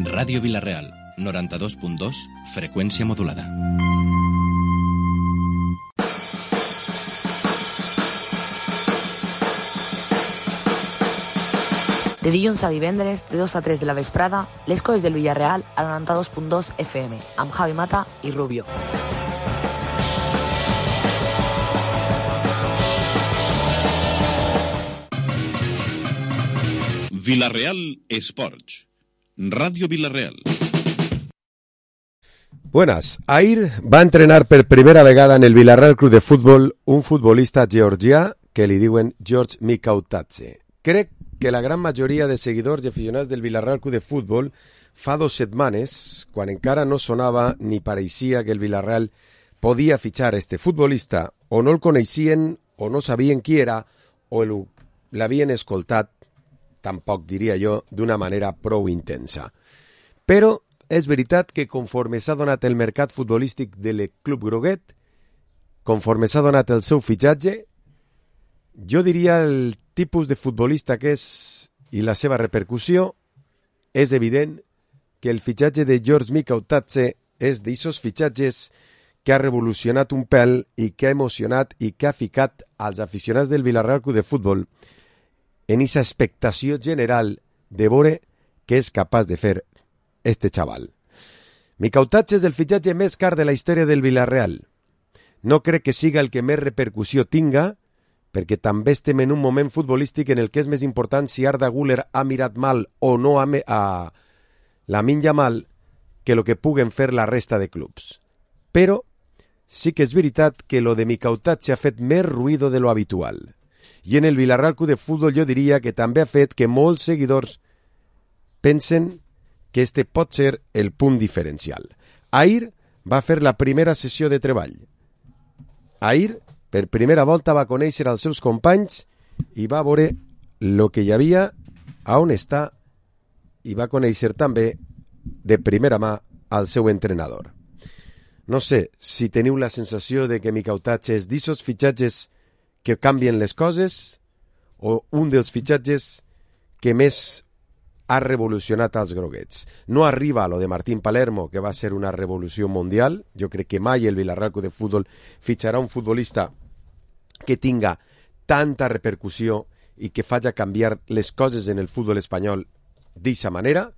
Ràdio Vila-real, 92.2, freqüència modulada. De dilluns a divendres, de 2 a 3 de la vesprada, les coses del Villarreal a 92.2 FM, amb Javi Mata i Rubio. Vila-real Esports. Radio Vila-real. Buenas. Ahir va entrenar per primera vegada en el Vila-real Club de Futbol un futbolista georgià que li diuen George Mikautadze. Crec que la gran majoria de seguidors i aficionats del Vila-real Club de Futbol fa 2 setmanes, quan encara no sonava ni pareixia que el Vila-real podia fitxar este futbolista, o no el coneixien, o no sabien qui era, o l'havien escoltat, tampoc diria jo, d'una manera prou intensa. Però és veritat que conforme s'ha donat el mercat futbolístic del Club Groguet, conforme s'ha donat el seu fitxatge, jo diria el tipus de futbolista que és i la seva repercussió, és evident que el fitxatge de George Mikautadze és d'aixòs fitxatges que ha revolucionat un pèl i que ha emocionat i que ha ficat als aficionats del Vila-real Club de Futbol en esa expectació general de veure què és capaç de fer este xaval. Mikautadze és el fitxatge més car de la història del Vila-real. No crec que siga el que més repercussió tinga, perquè també estem en un moment futbolístic en el que és més important si Arda Güler ha mirat mal o no a Lamine Yamal que el que puguen fer la resta de clubs. Però sí que és veritat que lo de Mikautadze ha fet més ruïdo de lo habitual. I en el Vila-real Club de Futbol jo diria que també ha fet que molts seguidors pensen que este pot ser el punt diferencial. Ahir va fer la primera sessió de treball. Ahir, per primera volta, va conèixer els seus companys i va veure el que hi havia, a on està, i va conèixer també de primera mà al seu entrenador. No sé si teniu la sensació de que Mikautadze és d'aixòs fitxatges que canvien les coses o un dels fitxatges que més ha revolucionat als groguets. No arriba a lo de Martín Palermo, que va ser una revolució mundial. Jo crec que mai el Vila-real Club de Futbol fitxarà un futbolista que tinga tanta repercussió i que faci canviar les coses en el futbol espanyol d'aquesta manera,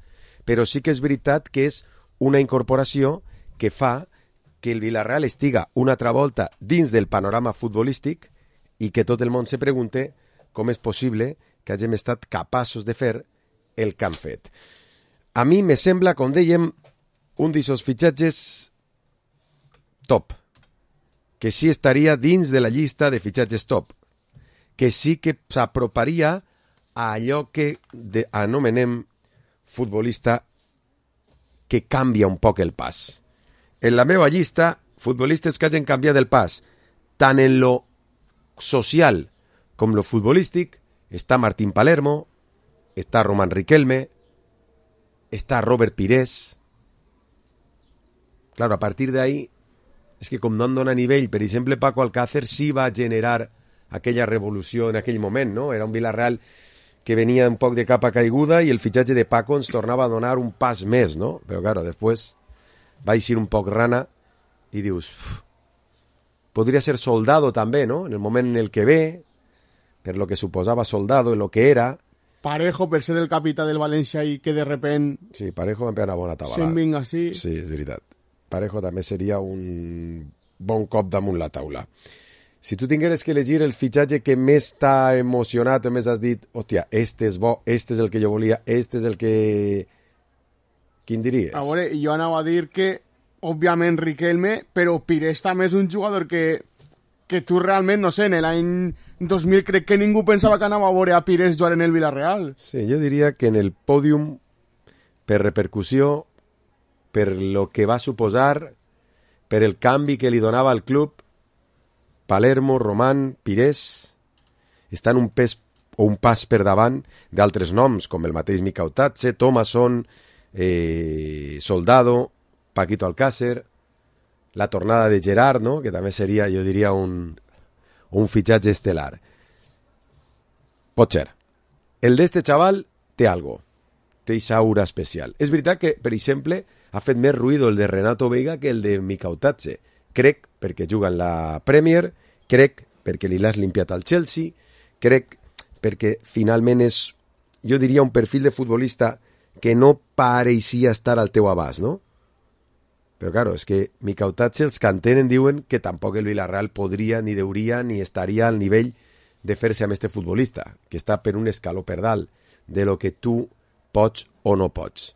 però sí que és veritat que és una incorporació que fa que el Vila-real estiga una altra volta dins del panorama futbolístic i que tot el món se pregunte com és possible que hàgim estat capaços de fer el que han fet. A mi me sembla, com dèiem, un d'aquests fitxatges top, que sí estaria dins de la llista de fitxatges top, que sí que s'aproparia a allò que anomenem futbolista que canvia un poc el pas. En la meva llista, futbolistes que hagin canviat el pas, tant en lo social com lo futbolístic, està Martín Palermo, està Román Riquelme, està Robert Pires. Claro, a partir de ahí, és que com no en dona nivell, per exemple, Paco Alcácer sí va generar aquella revolució en aquell moment, no? Era un Vila-real que venia un poc de capa caiguda i el fitxatge de Paco ens tornava a donar un pas més, no? Però claro, després va eixir un poc rana i dius, podria ser Soldado també, no? En el moment en el que ve, per lo que suposava Soldado, en lo que era. Parejo, per ser el capità del València i que de repent... Sí, Parejo va pegar una bona tabalada. Se'n vinga així. Sí, és veritat. Parejo també seria un bon cop damunt la taula. Si tu tingueres que elegir el fitxatge que més t'ha emocionat o més has dit, hòstia, este és bo, este és el que jo volia, este és el que... Quin diries? A veure, jo anava a dir que, òbviament, Riquelme, però Pires també és un jugador que tu realment, no sé, en l'any 2000 crec que ningú pensava que anava a veure a Pires jugar en el Villarreal. Sí, jo diria que en el pòdium, per repercussió, per lo que va suposar, per el canvi que li donava al club, Palermo, Román, Pires, estan un pes o un pas per davant d'altres noms, com el mateix Mikautadze, Thomasson, Soldado, Paquito Alcácer, la tornada de Gerard, no? Que també seria, jo diria, un fitxatge estel·lar. Pot ser. El d'este xaval té algo. té aquesta aura especial. És veritat que, per exemple, ha fet més ruïdo el de Renato Veiga que el de Mikautatze. Crec perquè juga en la Premier, crec perquè li l'has limpiat al Chelsea, crec perquè finalment és, jo diria, un perfil de futbolista que no pareixia estar al teu abast, no? Però, claro, és que Mikautatze, els que entenen, diuen que tampoc el Villarreal podria, ni deuria, ni estaria al nivell de fer-se amb este futbolista, que està per un escaló per dalt de lo que tu pots o no pots.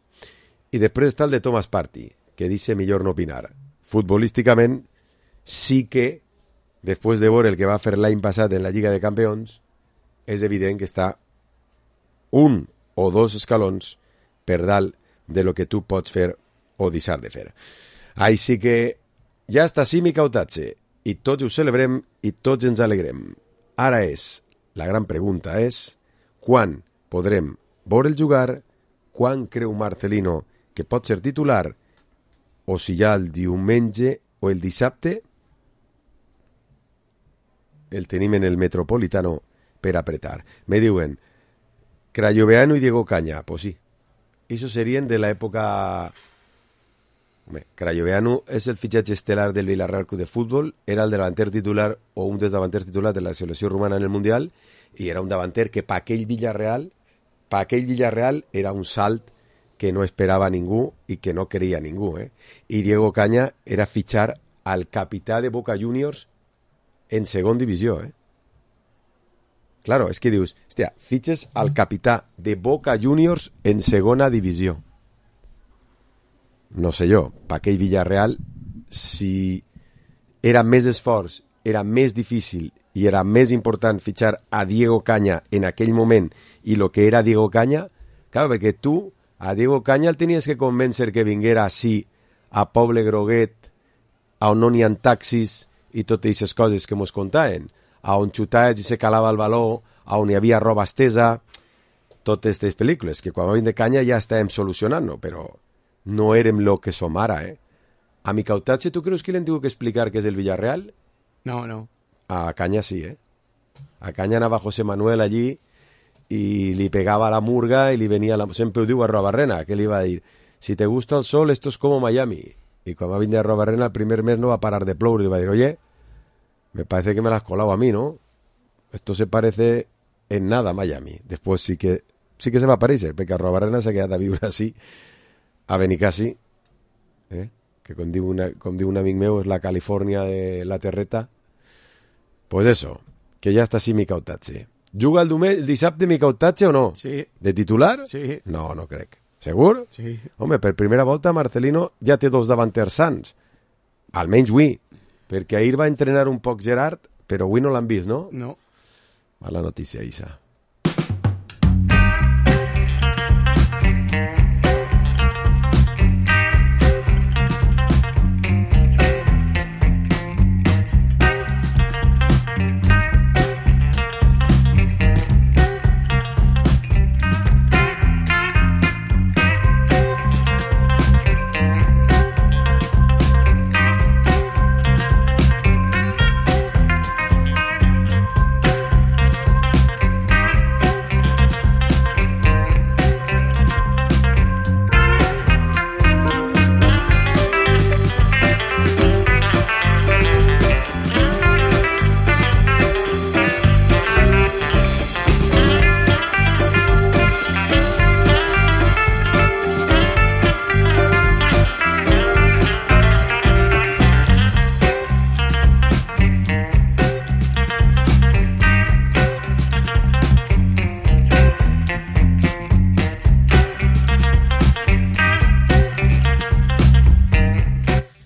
I després està el de Thomas Partey, que dice millor no opinar. Futbolísticament, sí que, després de veure el que va fer l'any passat en la Lliga de Campions, és evident que està un o dos escalons per dalt de lo que tu pots fer o deixar de fer. Així que ja està així Mikautatze, i tots ho celebrem i tots ens alegrem. Ara la gran pregunta és, quan podrem veure'l jugar, quan creu Marcelino que pot ser titular, o si ja el diumenge o el dissabte el tenim en el Metropolitano per apretar. Me diuen, Crayoveanu y Diego Caña, pues sí. Eso serían de la época... Crayoveanu és el fitxatge estelar del Villarreal Club de Fútbol, era el davanter titular o un dels davanters titulars de la selecció romana en el Mundial, i era un davanter que per aquell Villarreal era un salt que no esperava ningú i que no queria ningú. I Diego Caña era fitxar al capità de Boca Juniors en segon divisió. Claro, és que dius, hòstia, fitxes al capità de Boca Juniors en segona divisió. No sé jo, per aquell Villarreal, si era més esforç, era més difícil i era més important fitxar a Diego Caña en aquell moment i lo que era Diego Caña, clar, perquè tu a Diego Caña el tenies que convèncer que vinguera així a Poble Groguet, on no n'hi ha taxis i totes aquestes coses que mos contaven, on xutaves i se calava el baló, on hi havia roba estesa, totes aquestes pel·lícules, que quan va venir de Caña ja estàvem solucionant-ho, però no érem lo que som ara, A Mikautatze, tu creus que li han tingut que explicar què és el Villarreal? No. A Caña sí, A Caña anava José Manuel allí y li pegava la murga y li venia sempre ho diu a Arruabarrena, que li va dir, si te gusta el sol, esto es como Miami. Y quan va venir a Arruabarrena, el primer mes no va a parar de ploure, y le va dir, oye, me parece que me la has colado a mí, ¿no? Esto se parece en nada a Miami. Después sí que se va a parecer, perquè Arruabarrena s'ha quedat a viure així, a Benicassi, que com diu un amic meu és la Califòrnia de la terreta. Pues eso, que ja està així Mikautatze. Juga el dissabte Mikautatze o no? Sí. De titular? Sí. No crec. Segur? Sí. Home, per primera volta Marcelino ja té dos davanters sants. Almenys avui. Perquè ahir va entrenar un poc Gerard, però avui no l'han vist, no? No. Mala notícia, Isa.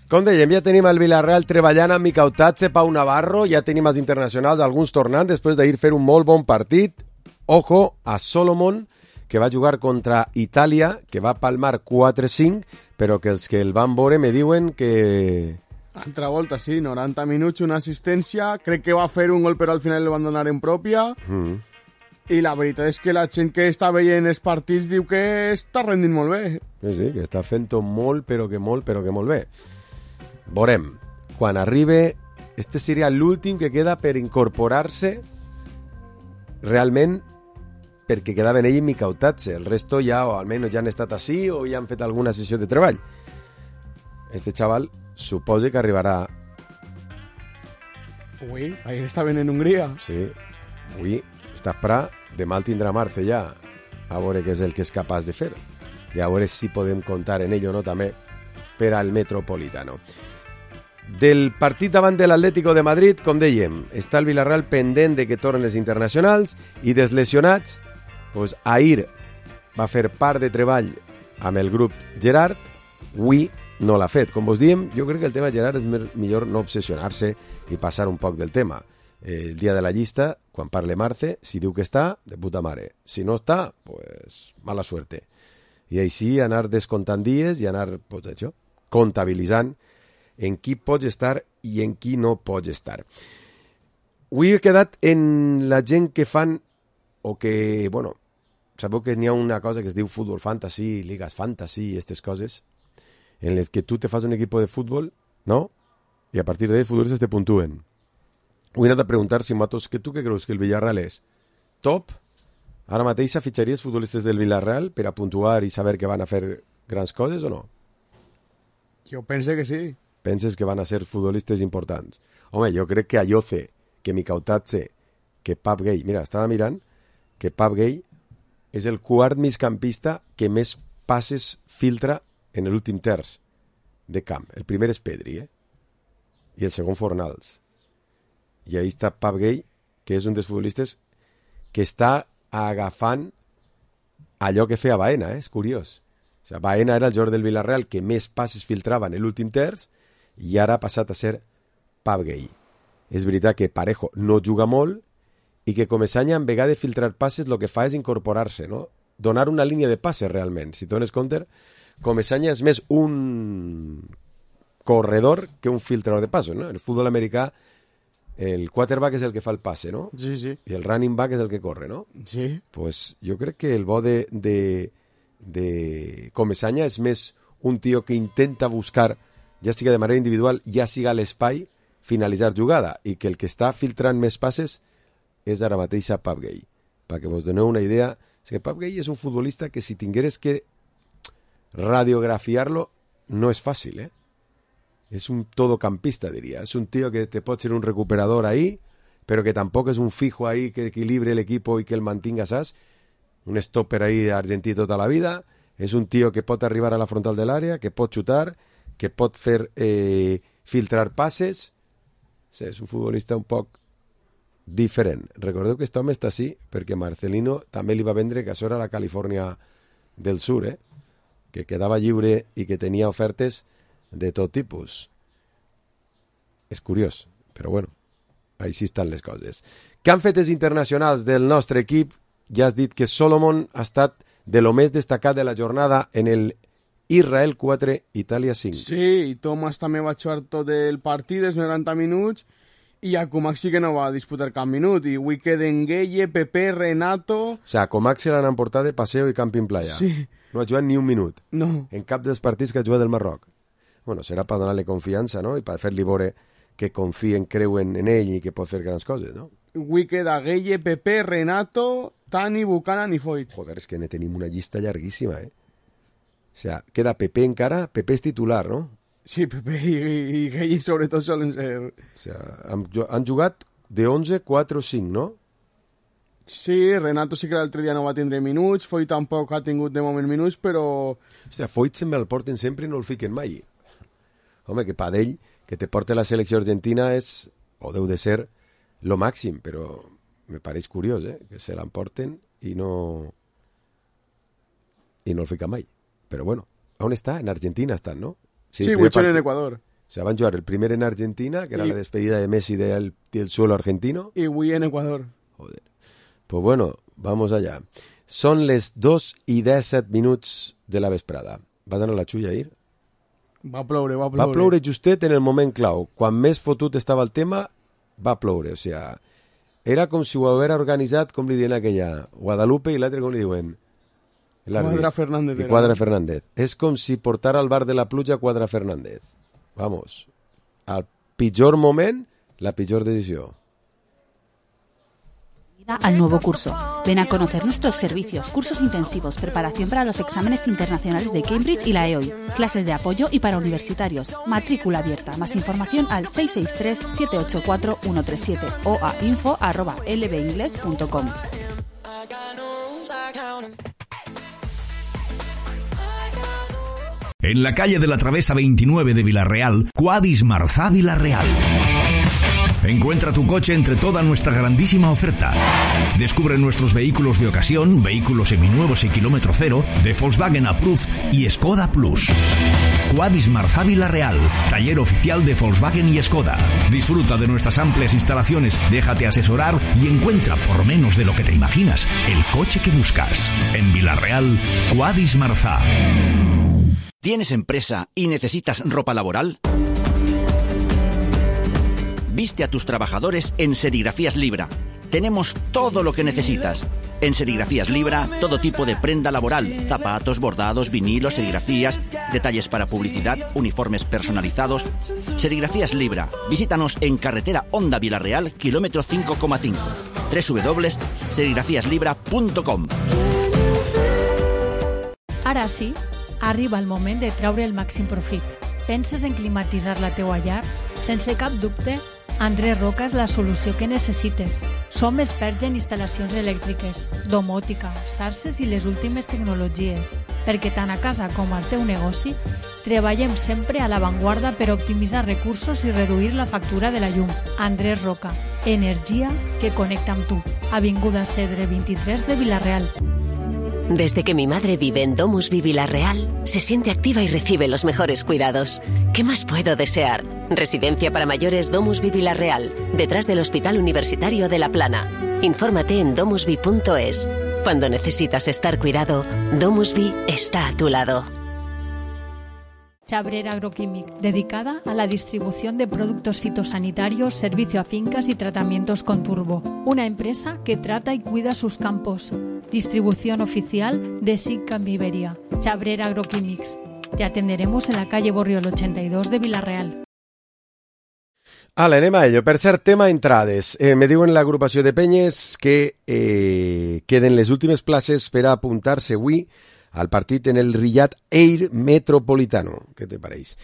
Com dèiem, ja tenim el Villarreal treballant amb Mikautatze, Pau Navarro, ja tenim els internacionals, alguns tornant després d'ahir fer un molt bon partit. Ojo a Solomon, que va jugar contra Itàlia, que va palmar 4-5, però que els que el van veure me diuen que... Altra volta, sí, 90 minuts, una assistència, crec que va fer un gol però al final el van donar en pròpia, i la veritat és que la gent que està veient els partits diu que està rendint molt bé. Sí, que està fent-ho molt, però que molt bé. Veurem, quan arribi, este seria l'últim que queda per incorporar-se realment perquè quedaven ell i Micautatge. El resto ja, o almenys ja han estat així, o ja han fet alguna sessió de treball. Este xaval suposa que arribarà... Ui, ahir estaven en Hongria. Sí, avui està Pra, demà el tindrà Marce ja, a veure què és el que és capaç de fer. I a veure si podem comptar en ell o no també per al Metropolitano. Del partit davant de l'Atlético de Madrid, com dèiem, està el Villarreal pendent de que tornen els internacionals i dels lesionats, doncs ahir va fer part de treball amb el grup Gerard, avui no l'ha fet. Com vos diem, jo crec que el tema Gerard és millor no obsessionar-se i passar un poc del tema. El dia de la llista, quan parle Marce, si diu que està, de puta mare. Si no està, pues mala suerte. I així anar descomptant dies i anar, pues això, comptabilitzant en qui pots estar i en qui no pots estar. Avui he quedat en la gent que fan, o que, bueno, sabeu que n'hi ha una cosa que es diu futbol fantasy, ligas fantasy, aquestes coses, en les que tu te fas un equip de futbol, no? I a partir d'ahí els futbolistes te puntuen. Avui he anat a preguntar si matos, que tu què creus que el Villarreal és? Top? Ara mateix fitxaries futbolistes del Villarreal per a puntuar i saber que van a fer grans coses o no? Jo pense que sí. Penses que van a ser futbolistes importants? Home, jo crec que Ayoce, que Micautatge, que Pap Gay... Mira, estava mirant que Pap Gay és el quart migcampista que més passes filtra en l'últim terç de camp. El primer és Pedri, i el segon Fornals. I ahí està Pap Gay, que és un dels futbolistes que està agafant allò que feia Baena, és curiós. O sigui, Baena era el jugador del Villarreal que més passes filtrava en l'últim terç i ara ha passat a ser Pap Gay. És veritat que Parejo no juga molt i que Comesaña, en vegada de filtrar passes, el que fa és incorporar-se, no? Donar una línia de passes, realment. Si dones compte, Comesaña és més un corredor que un filtrador de passos, no? En el futbol americà, el quarterback és el que fa el passe, no? Sí, sí. I el running back és el que corre, no? Sí. Pues jo crec que el bo de Comesaña és més un tio que intenta buscar, ja siga de manera individual, ja siga a l'espai, finalitzar jugada, i que el que està filtrant més passes és ara mateix a Pap Gay. Perquè vos doneu una idea, és que Pap Gay és un futbolista que si tingueres que radiografiar-lo no és fàcil, És un todocampista, diria. És un tio que te pot ser un recuperador ahí, però que tampoc és un fijo ahí que equilibre l'equipo i que el mantinga, saps? Un stopper ahí argentí tota la vida. És un tio que pot arribar a la frontal de l'àrea, que pot xutar, que pot fer filtrar passes. Sí, és un futbolista un poc diferent. Recordeu que aquest home està així perquè Marcelino també li va vendre que això era la Califòrnia del Sur, que quedava lliure i que tenia ofertes de tot tipus. És curiós, però bueno, així estan les coses. Què han fet els internacionals del nostre equip? Ja has dit que Solomon ha estat de lo més destacat de la jornada en el Israel 4, Itàlia 5. Sí, i Thomas també va jugar tot el partit, els 90 minuts, i a Comac sí que no va disputar cap minut, i avui queden Gueye, Pepe, Renato... O sea, Comac se l'han emportat de paseo i camping playa. Sí. No ha jugat ni un minut. No. En cap dels partits que ha jugat del Marroc. Bueno, serà per donar-li confiança, no? I per fer-li veure que confien, creuen en ell i que pot fer grans coses, no? Avui queda Gueye, Pepe, Renato, Tani, Buchanan i Foyt. Joder, és que ne tenim una llista llarguíssima, O sea, queda Pepe encara, Pepe és titular, no? Sí, Pepe i Gueye sobretot solen ser... O sea, han jugat de 11, 4 o 5, no? Sí, Renato sí que l'altre dia no va tindre minuts, Foyt tampoc ha tingut de moment minuts, però... O sea, Foyt sempre el porten sempre i no el fiquen mai. Home, que per ell, que te porte la selecció argentina és, o deu de ser, lo màxim, però me pareix curiós, que se l'emporten i no el fica mai. Però bueno, on està? En Argentina estan, no? Sí, avui en Ecuador. O sea, van jugar el primer en Argentina, que era la despedida de Messi del suelo argentino. Y avui en Ecuador. Joder. Pues bueno, vamos allá. Són les 2:17 de la vesprada. Vas anar a la xulla ahir? Va ploure. Va ploure justet en el moment clau. Quan més fotut estava el tema, va ploure. O sea, era com si ho haguera organitzat, com li diuen aquella, Guadalupe, i l'altre com li diuen? Quadra Fernández. Quadra Fernández. És com si portara al bar de la pluja Quadra Fernández. Vamos. Al pitjor moment, la pitjor decisió. al nuevo curso. Ven a conocer nuestros servicios, cursos intensivos, preparación para los exámenes internacionales de Cambridge y la EOI, clases de apoyo y para universitarios, matrícula abierta. Más información al 663-784-137 o a info@lbingles.com. En la calle de la Travesa 29 de Villarreal, Quadis Marzà Villarreal. Encuentra tu coche entre toda nuestra grandísima oferta. Descubre nuestros vehículos de ocasión, vehículos seminuevos y kilómetro cero, de Volkswagen Approved y Skoda Plus. Quadis Marzà Villarreal, taller oficial de Volkswagen y Skoda. Disfruta de nuestras amplias instalaciones, déjate asesorar y encuentra por menos de lo que te imaginas el coche que buscas. En Villarreal, Quadis Marzà. ¿Tienes empresa y necesitas ropa laboral? Viste a tus trabajadores en Serigrafías Libra. Tenemos todo lo que necesitas. En Serigrafías Libra, todo tipo de prenda laboral, zapatos, bordados, vinilos, serigrafías, detalles para publicidad, uniformes personalizados. Serigrafías Libra. Visítanos en carretera Honda Villarreal, kilómetro 5,5. www.serigrafiaslibra.com. Ara sí, arriba el moment de treure el màxim profit. Penses en climatitzar la teua llar? Sense cap dubte, Andrés Roca és la solució que necessites. Som experts en instal·lacions elèctriques, domòtica, xarxes i les últimes tecnologies, perquè tant a casa com al teu negoci treballem sempre a l'avantguarda per optimitzar recursos i reduir la factura de la llum. Andrés Roca, energia que connecta amb tu. Avinguda Cedre 23 de Villarreal. Desde que mi madre vive en Domusvi Villarreal, se siente activa y recibe los mejores cuidados. ¿Qué más puedo desear? Residencia para mayores Domusvi Villarreal, detrás del Hospital Universitario de La Plana. Infórmate en domusvi.es. Cuando necesitas estar cuidado, Domusvi está a tu lado. Chabrera Agroquímic, dedicada a la distribución de productos fitosanitarios, servicio a fincas y tratamientos con turbo. Una empresa que trata y cuida sus campos. Distribución oficial de SICAM Iberia. Chabrera Agroquímics. Te atenderemos en la calle Borriol 82 de Villarreal. Anem a ello. Per cert, tema entrades. Me diuen l'agrupació de penyes que queden les últimes places per a apuntar-se avui al partit en el Riyadh Air Metropolitano. Què te pareix?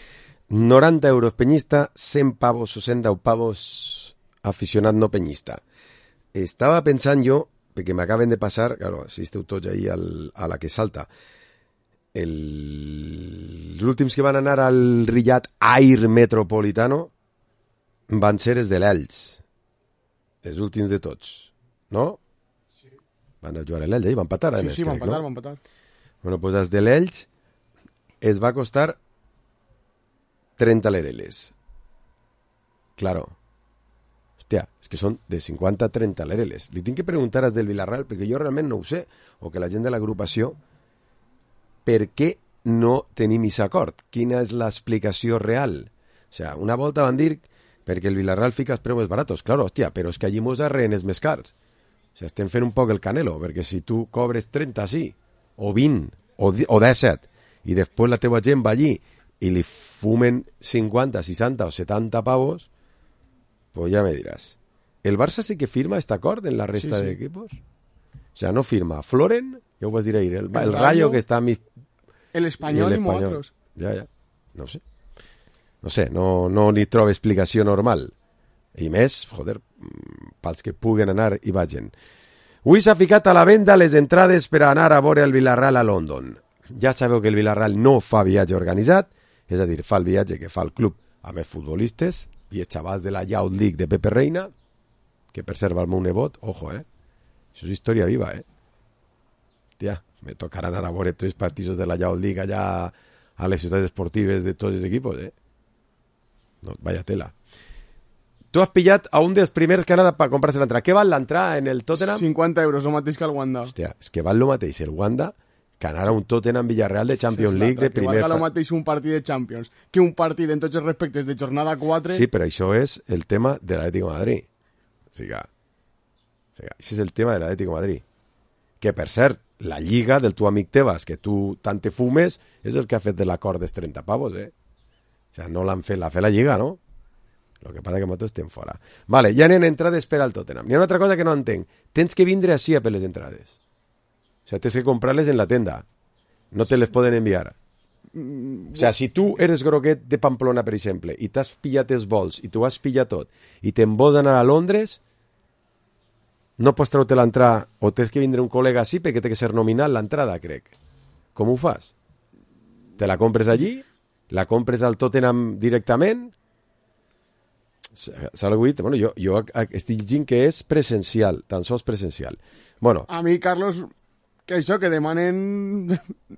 90 euros penyista, 100 pavos o 110 pavos aficionat no penyista. Estava pensant jo, perquè m'acaben de passar, claro, si esteu tots ahí a la que salta, els últims que van anar al Riyadh Air Metropolitano van ser els de l'Elx, els últims de tots, no? Sí. Van a jugar a l'Elx, van empatar. Sí, van empatar. Bueno, pues els de l'Elx es va costar 30 lereles. Claro. Hòstia, és que són de 50 a 30 lereles. Li tinc que preguntar als del Villarreal, perquè jo realment no ho sé, o que la gent de l'agrupació, per què no tenim aquest acord? Quina és l'explicació real? O sea, una volta van dir perquè el Villarreal fica els preus més baratos. Claro, hòstia, però és que allí mos arreen els més cars. O sea, estem fent un poc el canelo, perquè si tu cobres 30, sí, o 20, o 17, i després la teva gent va allí i li fumen 50, 60 o 70 pavos, pues ya me dirás. ¿El Barça sí que firma este acord en la resta de equipos? O sea, no firma Floren, ya os vas a decir ahí, el Rayo que está... El Espanyol i otros. Ja. No sé. No ni trobo explicació normal. I més, joder, pels que puguen anar i vagin. Avui s'ha ficat a la venda les entrades per a anar a veure el Villarreal a London. Ja sabeu que el Villarreal no fa viatge organitzat, és a dir, fa el viatge que fa el club amb els futbolistes i els xavals de la Youth League de Pepe Reina, que per cert va el meu nebot, ojo, això és història viva, Tia, me tocarà anar a veure tots els partits de la Youth League allà a les ciutats esportives de tots els equipos, No, vaya tela. Tu has pillat a un dels primers que ha anat per comprar-se l'entrada. Què val l'entrada en el Tottenham? 50 euros, el mateix que el Wanda. Hòstia, és que val el mateix el Wanda que anar a un Tottenham Villarreal de Champions League de primer... Que valga el mateix un partit de Champions que un partit en tots els respectes de jornada 4... Sí, però això és el tema de l'Atlético de Madrid. O sigui, això és el tema de l'Atlético de Madrid. Que, per cert, la lliga del tu amic Tebas, que tu tant te fumes, és el que ha fet de l'acord dels 30 pavos, O sigui, no l'han fet, l'ha fet la lliga, no? El que passa que nosaltres estem fora. Vale, ja n'hi ha entrades per al Tottenham. Hi ha una altra cosa que no entenc. Tens que vindre així a per les entrades. O sea, tens que comprar-les en la tenda. No te les poden enviar. O sea, si tu eres groguet de Pamplona, per exemple, i t'has pillat els vols, i tu has pillat tot, i te'n vols anar a Londres, no pots treure l'entrada, o tens que vindre un col·lega així, perquè té que ser nominal l'entrada, crec. Com ho fas? Te la compres allí? La compres al Tottenham directament? S'ha alguit? Bueno, jo estic llegint que és presencial, tan sols presencial. Bueno. A mi, Carlos, que això, que demanen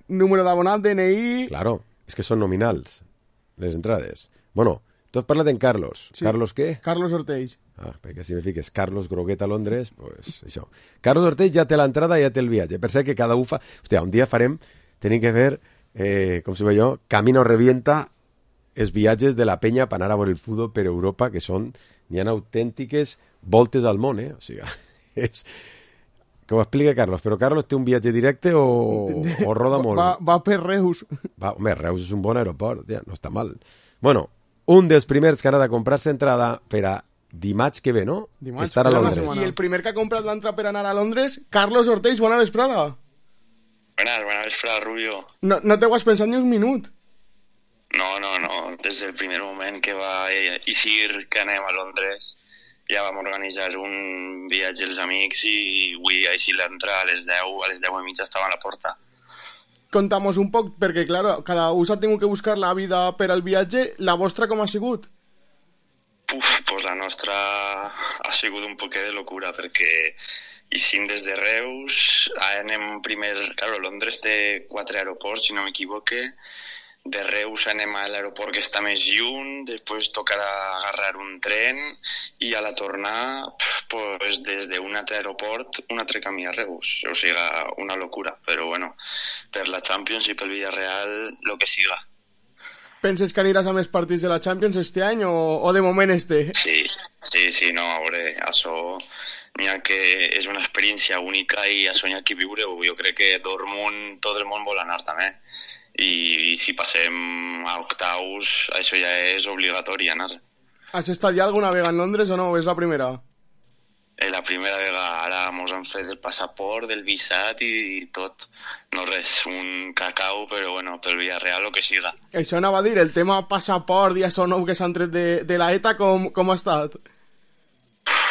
número d'abonat, DNI... Claro, és que són nominals, les entrades. Bueno, tu has parlat en Carlos. Sí. Carlos què? Carlos Ortells. Ah, perquè si me fiques Carlos Groguet a Londres, pues això. Carlos Ortells ja té l'entrada i ja té el viatge. Per cert que cada un fa... Hòstia, un dia tenim que fer, com si ve jo, Camino Revienta, els viatges de la penya per anar a veure el futbol per Europa, que són, n'hi ha autèntiques voltes al món, O sigui, és... Que ho explica Carlos, però Carlos té un viatge directe o roda molt? Va per Reus. Home, Reus és un bon aeroport, ja, no està mal. Bueno, un dels primers que ha de comprar-se entrada per a dimarts que ve, no? Dimarts, estar a Londres. I el primer que ha comprat l'entrada per anar a Londres, Carlos Ortells, bona vesprada. Buena vesprada, Rubio. No t'ho has pensat ni un minut? No. Des del primer moment que va eixir que anem a Londres, ja vam organitzar un viatge als amics i avui així l'entrada a les 10:30 estava a la porta. Contamos un poc, perquè, claro, cada un s'ha tingut que buscar la vida per al viatge. La vostra com ha sigut? Pues la nostra ha sigut un poquet de locura, perquè eixim des de Reus, anem primer... Claro, Londres té 4 aeroports, si no m'equivoque. De Reus anem a l'aeroport que està més lluny, després tocarà agarrar un tren i a la tornada, pues, des d'un altre aeroport, un altre camí a Reus. O sigui, una locura, però bueno, per la Champions i pel Villarreal, lo que siga. Penses que aniràs a més partits de la Champions este any o de moment este? Sí, no, a veure, això n'hi ha que és una experiència única i això n'hi ha que viure-ho. Jo crec que tot el món vol anar també. I si passem a octaus, això ja és obligatori anar. Has estat ja alguna vegada en Londres o no? És la primera? La primera vegada. Ara mos han fet el passaport, el visat i tot. No res, un cacau, però bueno, pel Villarreal o que siga. Això anava a dir, el tema passaport i això nou que s'han tret de la ETA, com ha estat?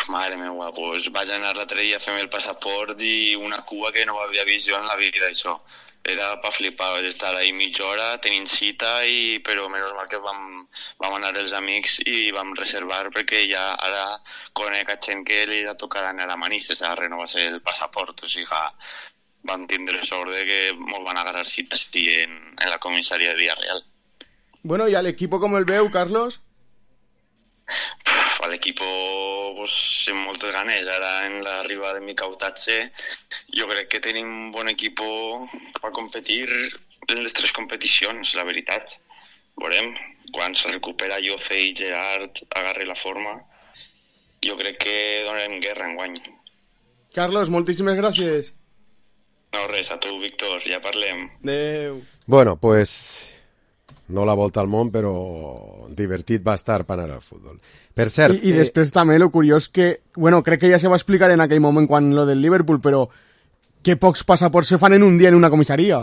Mare meva, pues vaig anar l'altre dia a fer el passaport i una cua que no havia vist jo en la vida, això. Era pa flipar, vaig estar ahí mitja hora tenint cita, però menys mal que vam anar els amics i vam reservar perquè ja ara conec a gent que li ha tocat anar a Manises a renovar-se el passaport, o sigui, vam tindre sort de que ens van agarrar cites en la comissaria de Villarreal. Bueno, ¿y al equipo cómo el veu, Carlos? A l'equip pues, amb moltes ganes. Ara en l'arribada de Micautatge jo crec que tenim un bon equip per competir en les 3 competicions, la veritat. Veurem, quan se recupera Jose i Gerard agarri la forma, jo crec que donarem guerra enguany. Carlos, moltíssimes gràcies. No, res, a tu, Víctor, ja parlem. Adéu. Bueno, pues... no la volta al món, però divertit va estar per anar al futbol. Per cert... I després també lo curiós que... Bueno, crec que ja se va explicar en aquell moment quan lo del Liverpool, però que pocs passaports se fan en un dia en una comissaria.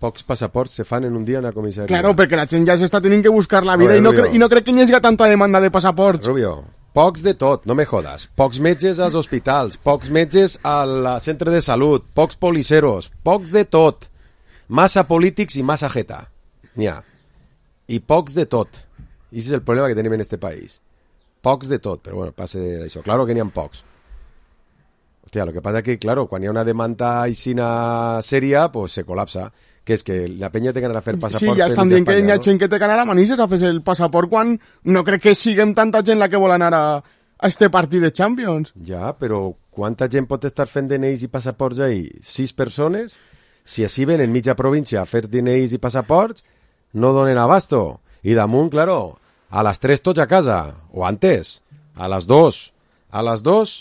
Pocs passaports se fan en un dia en una comissaria. Claro, perquè la gent ja s'està tenint que buscar la vida i no crec que hi hagi tanta demanda de passaports. Rubio, pocs de tot, no me jodas. Pocs metges als hospitals, pocs metges al centre de salut, pocs policeros, pocs de tot. Massa polítics i massa jeta. N'hi ha. I pocs de tot. I és el problema que tenim en este país. Pocs de tot, però bueno, passa d'això. Claro que n'hi ha pocs. Hòstia, lo que passa que, claro, quan hi ha una demanda aixina sèria, pues se col·lapsa. Que és que la penya té que anar a fer passaport... Sí, ja estan dient que hi ha gent que té que anar a Manises a fer el passaport quan no crec que siguem tanta gent la que vol anar a este partit de Champions. Ja, però quanta gent pot estar fent DNIs i passaports ahí? 6 persones? Si així ven en mitja província a fer DNIs i passaports, no donen abasto. I damunt, claro, a les 3 tots a casa, o antes, a les 2. A les 2,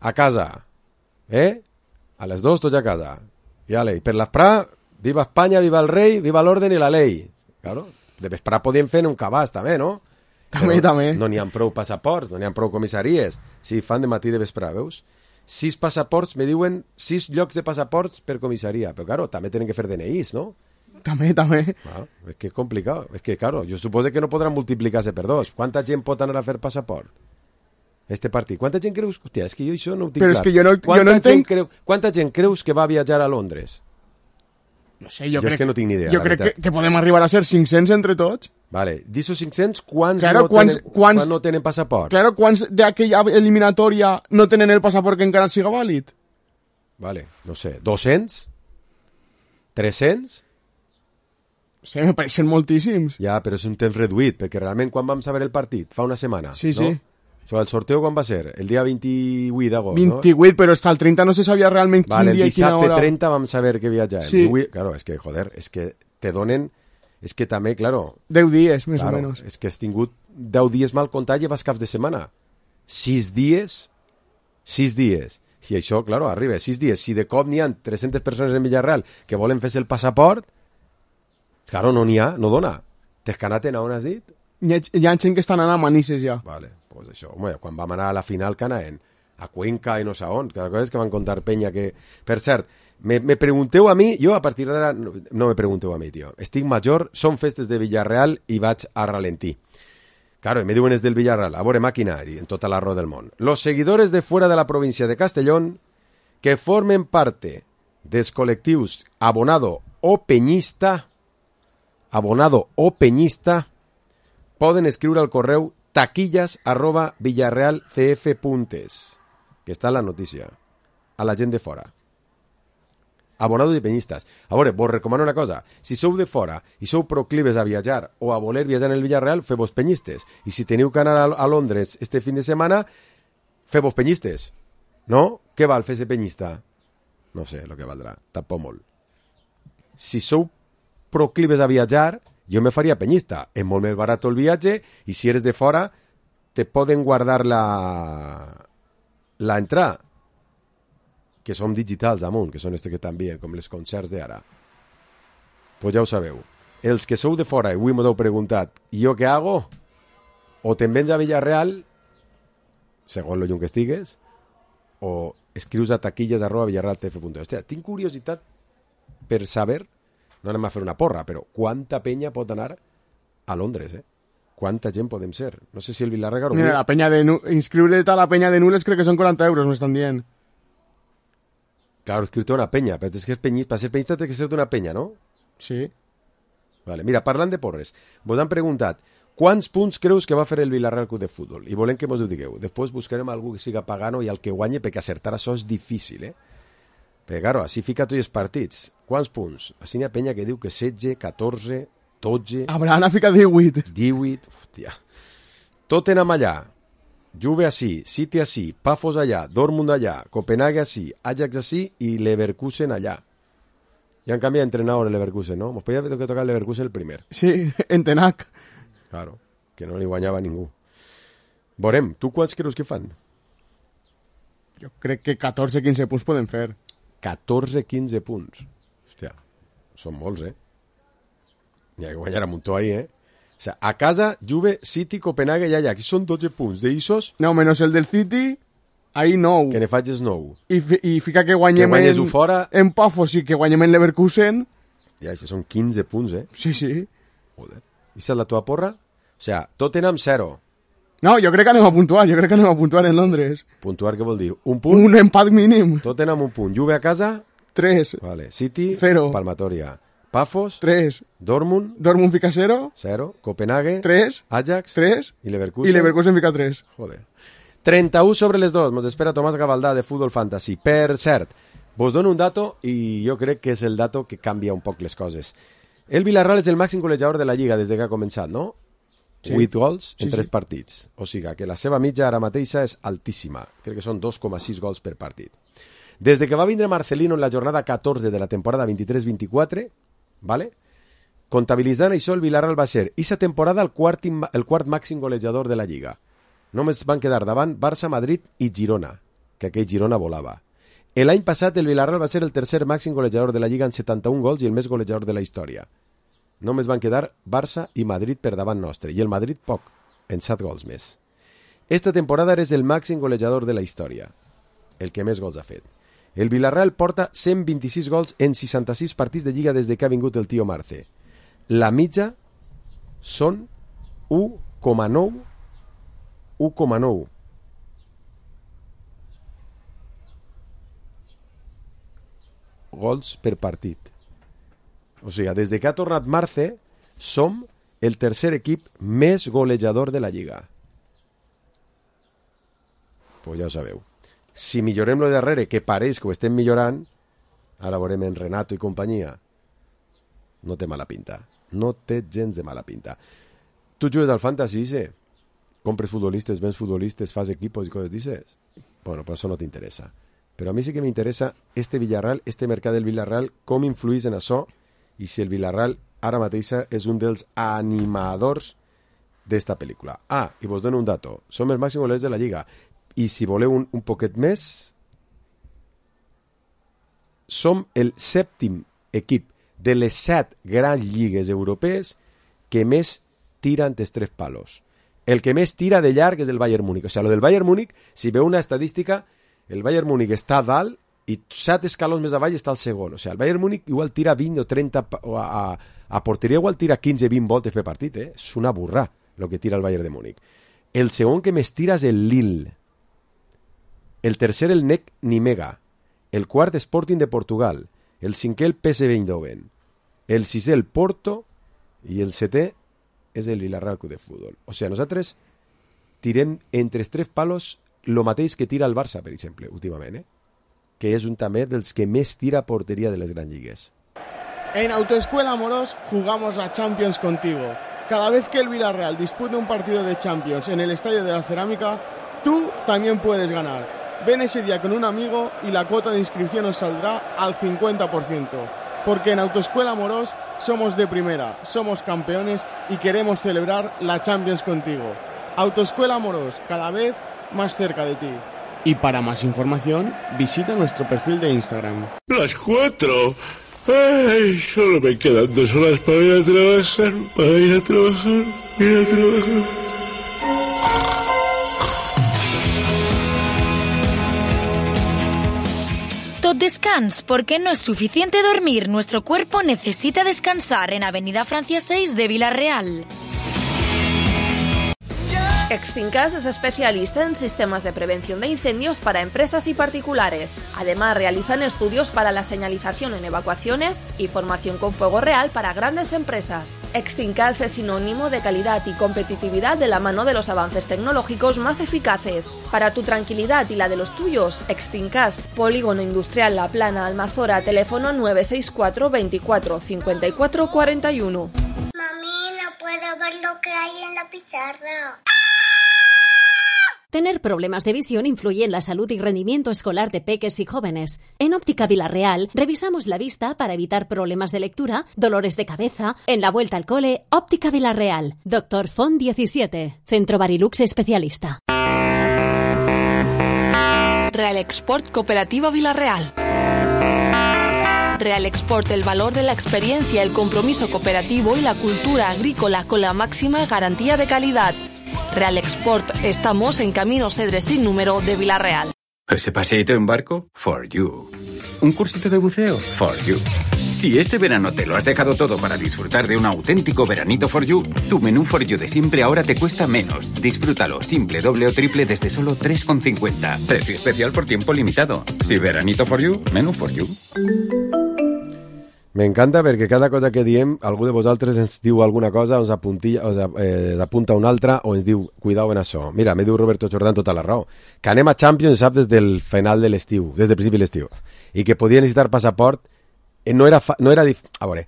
a casa. A les 2 tots a casa. I ale, per l'esprà, viva Espanya, viva el rei, viva l'orden i la ley. Claro, de vesprà podien fer un cabàs, també, no? També. No n'hi ha prou passaports, no n'hi ha prou comissaries. Si fan de matí de vesprà, veus? 6 passaports, me diuen 6 llocs de passaports per comissaria. Però, claro, també tenen que fer DNIs, no? També. És que és complicat. És que, claro, jo suposo que no podran multiplicar-se per 2. Quanta gent pot anar a fer passaport? Este partit. Quanta gent creus... Hòstia, és que jo això no ho tinc clar. Però és que jo no entenc... Quanta gent creus que va viatjar a Londres? No sé, jo crec és que no tinc ni idea. Jo crec que podem arribar a ser 500 entre tots. Vale, d'esos 500, quants no tenen passaport? Claro, quants d'aquella eliminatòria no tenen el passaport que encara siga vàlid? Vale, no sé, 200? 300? Sí, me pareixen moltíssims. Ja, però és un temps reduït, perquè realment quan vam saber el partit? Fa una setmana, sí. No? Sobre el sorteo quan va ser? El dia 28 d'agost, 28, no? Però hasta el 30 no se sabia realment quin dia i quina hora. El dissabte 30 vam saber que viatjàvem. Sí. Claro, és que, joder, és que te donen... És que també, claro... 10 dies, més o menys. És que has tingut 10 dies mal comptat i vas caps de setmana. 6 dies. I això, claro, arriba 6 dies. Si de cop n'hi ha 300 persones en Villarreal que volen fer-se el passaport, claro, no n'hi ha, no dona. T'escanaten a on has dit? Hi ha gent que estan anant a Manises ja. Vale, pues això. Home, quan vam anar a la final que anaven a Cuenca i no sé on, cada cosa és que van contar penya que... Per cert, me pregunteu a mi, jo a partir d'ara no me pregunteu a mi, tio. Estic major, són festes de Villarreal i vaig a ralentí. Claro, me diuen és del Villarreal, a veure màquina, i en tota l'arró del món. Los seguidores de fuera de la provincia de Castellón que formen parte dels col·lectius abonado o peñista poden escriure al correu taquillas@villarrealcf.es, que està en la notícia, a la gent de fora. Abonado i penyistes. A veure, vos recomano una cosa. Si sou de fora i sou proclives a viatjar o a voler viatjar en el Villarreal, feu-vos penyistes. I si teniu que anar a Londres este fin de setmana, feu-vos penyistes. No? Què val fer-se penyista? No sé el que valdrà. Tampoc molt. Si sou proclives a viatjar, jo me faria penyista. És molt més barat el viatge i si eres de fora te poden guardar la entrada, que som digitals damunt, que són estes que t'envien, com les concerts d'ara. Pues ja ho sabeu. Els que sou de fora i avui m'ho heu preguntat, i jo què hago? O te'n vens a Villarreal, segons lo llum que estigues, o escrius a taquillas@villarrealcf.es. Hòstia, tinc curiositat per saber, no anem a fer una porra, però quanta penya pot anar a Londres, Quanta gent podem ser? No sé si el Villarreal... Mira, la penya de inscriure't a la penya de Nules crec que són 40 euros, m'estan dient. Claro, escrito una peña, pero es que para ser peñista tiene que ser de una peña, ¿no? Sí. Vale, mira, parlant de porres, vos han preguntat quants punts creus que va fer el Villarreal Club de Futbol? I volem que mos ho digueu. Després buscarem algú que siga pagano i el que guanye, perquè acertar això és difícil, Perquè, claro, així fica tots els partits. Quants punts? Així n'hi ha penya que diu que 16, 14, 12... Abraham ha ficat 18. 18, hòstia. Tottenham allà, Juve així, City així, Pafos allà, Dortmund allà, Copenhague així, Ajax així i Leverkusen allà. I en canvi entrenador el Leverkusen, ¿no? Mos podía haver tocat el Leverkusen el primer. Sí, en Tenac. Claro, que no li guanyava ningú. Veurem, tu quants creus que fan? Jo crec que 14-15 punts poden fer. 14-15 punts. Hòstia, són molts, N'hi ha que guanyar a muntó ahí, O sea, a casa, Juve, City, Copenhague i Ajax. Són 12 punts. D'Isos... No, menys el del City, ahí 9. Que ne faig 9. I fica que guanyem en Pafos i que guanyem en Leverkusen. Ja, això són 15 punts, Sí, sí. Joder. I és la teva porra? O sea, Tottenham 0. No, jo crec que anem a puntuar. Jo crec que anem a puntuar en Londres. Puntuar què vol dir? Un punt? Un empat mínim. Tottenham un punt. Juve a casa? 3. Vale. City? 0. Palmatoria. Pafos? 3. Dortmund fica 0. 0. Copenhague? 3. Ajax? 3. I Leverkusen? I Leverkusen fica 3. Joder. 31 sobre les 2. Mos espera Tomàs Gavaldà de Futbol Fantasy. Per cert, vos dono un dato i jo crec que és el dato que canvia un poc les coses. El Villarreal és el màxim golejador de la Lliga des que ha començat, no? Sí. 8 gols en 3 partits. O sigui que la seva mitja ara mateixa és altíssima. Crec que són 2,6 gols per partit. Des que va vindre Marcelino en la jornada 14 de la temporada 23-24, ¿vale? Comptabilitzant això, el Villarreal va ser aquesta temporada el quart màxim golejador de la Lliga. Només van quedar davant Barça, Madrid i Girona, que aquell Girona volava. L'any passat el Villarreal va ser el tercer màxim golejador de la Lliga en 71 gols i el més golejador de la història. només van quedar Barça i Madrid per davant nostre, i el Madrid poc, en 7 gols més. Esta temporada eres el màxim golejador de la història, el que més gols ha fet. El Villarreal porta 126 gols en 66 partits de Lliga des de que ha vingut el tio Marce. La mitja són 1,9 gols per partit. O sigui, des de que ha tornat Marce, som el tercer equip més golejador de la Lliga. Pues ja ho sabeu. Si millorem lo de darrere, que pareix que ho estem millorant, ara veurem en Renato i companyia, no té mala pinta. No té gens de mala pinta. Tu jugues al Fantasy, sí? Compres futbolistes, vens futbolistes, fas equipos i coses dices? Bueno, pues això no t'interessa. Però a mi sí que m'interessa este Villarreal, este mercat del Villarreal, com influís en això, i si el Villarreal ara mateixa és un dels animadors d'esta pel·lícula. Ah, i vos dono un dato. Som els màxims golejadors de la Lliga. I si voleu un poquet més, som el 7è equip de les 7 grans lligues europees que més tira entre 3 palos. El que més tira de llarg és el Bayern Múnich. O sigui, lo del Bayern Múnich, si veu una estadística, el Bayern Múnich està a dalt i 7 escalons més avall està el segon. O sigui, el Bayern Múnich igual tira 20 o 30 a porteria, igual tira 15-20 voltes per partit. És una burrà el que tira el Bayern de Múnich. El segon que més tira és el Lille. El tercer el NEC Nimega. El quart Sporting de Portugal. El cinquè el PSV Eindhoven. El sisè el Porto i el setè és el Villarreal Club de Futbol. O sigui, nosaltres tirem entre els 3 palos lo mateix que tira el Barça, per exemple, últimament, que és un també dels que més tira a porteria de les grans lligues. En Autoescuela Amorós jugamos a Champions contigo. Cada vez que el Villarreal dispute un partido de Champions en el Estadio de la Cerámica, tú también puedes ganar. Ven ese día con un amigo y la cuota de inscripción nos saldrá al 50%. Porque en Autoescuela Amorós somos de primera, somos campeones y queremos celebrar la Champions contigo. Autoescuela Amorós, cada vez más cerca de ti. Y para más información, visita nuestro perfil de Instagram. Las 4. Ay, solo me quedan 2 horas para ir a trabajar, Tot descans, porque no es suficiente dormir. Nuestro cuerpo necesita descansar en Avenida Francia 6 de Villarreal. Extincas es especialista en sistemas de prevención de incendios para empresas y particulares. Además, realizan estudios para la señalización en evacuaciones y formación con fuego real para grandes empresas. Extincas es sinónimo de calidad y competitividad de la mano de los avances tecnológicos más eficaces. Para tu tranquilidad y la de los tuyos, Extincas, Polígono Industrial La Plana, Almazora, teléfono 964 24 54 41. Mami, no puedo ver lo que hay en la pizarra. Tener problemas de visión influye en la salud y rendimiento escolar de peques y jóvenes. En Óptica Villarreal revisamos la vista para evitar problemas de lectura, dolores de cabeza. En la vuelta al cole, Óptica Villarreal. Dr. Font 17, Centro Barilux Especialista. Real Export Cooperativa Villarreal. Real Export, el valor de la experiencia, el compromiso cooperativo y la cultura agrícola con la máxima garantía de calidad. Real Export, estamos en Camino Cedres sin número de Villarreal. ¿Ese paseíto en barco? For you. ¿Un cursito de buceo? For you. Si este verano te lo has dejado todo para disfrutar de un auténtico veranito For you, tu menú For you de siempre ahora te cuesta menos. Disfrútalo simple, doble o triple desde solo 3,50. Precio especial por tiempo limitado. Si veranito For you, menú For you. M'encanta perquè cada cosa que diem, algú de vosaltres ens diu alguna cosa, ens apunta una altra o ens diu, cuidao en això. Mira, me diu Roberto Jordán tota la raó, que anem a Champions, saps, des del final de l'estiu, des del principi de l'estiu, i que podia necessitar passaport, a veure,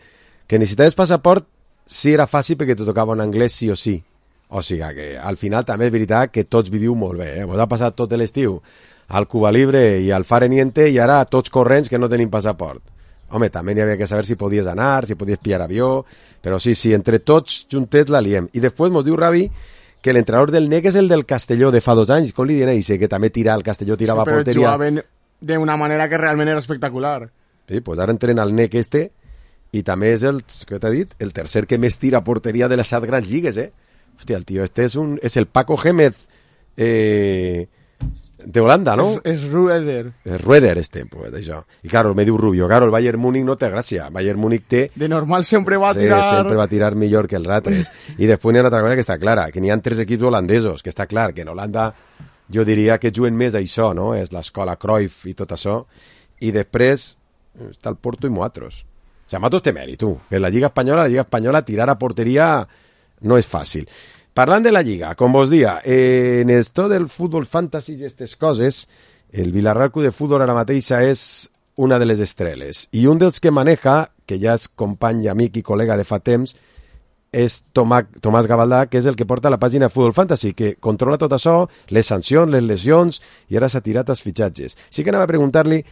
que necessitaves passaport sí era fàcil perquè te tocava en anglès sí o sí. O sigui que al final també és veritat que tots viviu molt bé, Vos ha passat tot l'estiu al Cuba Libre i al Fare Niente i ara tots corrents que no tenim passaport. Home, també n'hi havia que saber si podies anar, si podies pillar avió, però sí, entre tots juntets la liem. I després mos diu Ravi que l'entrenador del NEC és el del Castelló de fa 2 anys, com li diuen a que també el Castelló tirava a porteria. Però jugaven d'una manera que realment era espectacular. Sí, pues ara entrena el NEC i també és què t'ha dit? El tercer que més tira a porteria de les 7 grans lligues, Hòstia, el tio este és el Paco Gémez de Holanda, ¿no? És Rueder. És Rueder, pues, això. I claro, me diu Rubio, claro, el Bayern Múnich no té gràcia. Bayern Múnich té... De normal sempre va tirar... Sempre va tirar millor que els altres. I després hi ha una altra cosa que està clara, que n'hi ha 3 equips holandesos, que està clar, que en Holanda jo diria que juguen més això, no? És l'escola Cruyff i tot això. I després està el Porto i Moatros. O sigui, Moatros té mèrit, tu. Que la Lliga Espanyola, tirar a porteria no és fàcil. Parlant de la Lliga, com vos dia, en esto del futbol fantasy i aquestes coses, el Villarreal Club de Futbol ara mateixa és una de les estreles. I un dels que maneja, que ja és company i amic i col·lega de fa temps, és Tomàs Gavaldà, que és el que porta la pàgina Futbol Fantasy, que controla tot això, les sancions, les lesions, i ara s'ha tirat els fitxatges. Sí que anava a preguntar-li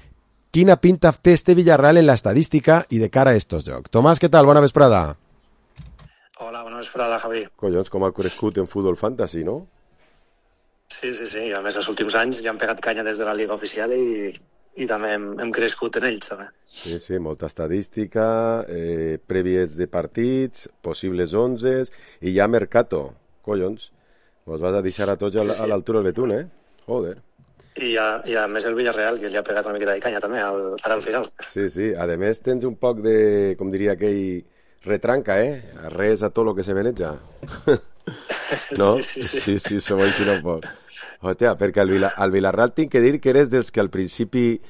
quina pinta té este Villarreal en l'estadística i de cara a estos jocs. Tomàs, què tal? Bona vesprada. Hola, bona vesprada, Javi. Collons, com ha crescut en Futbol Fantasy, no? Sí. A més, els últims anys ja han pegat canya des de la Liga Oficial i també hem crescut en ells, també. Sí, molta estadística, prèvies de partits, possibles 11, i ja Mercato. Collons, vos vas a deixar a tots a l'altura del betún, Joder. I a més el Villarreal, que li ha pegat una miqueta de canya també, ara al final. Sí. A més tens un poc de, com diria aquell... retranca, res a tot lo que se veneja. No? Sí, som així no pot. Hòstia, perquè al Villarreal tinc que dir que eres dels que al principi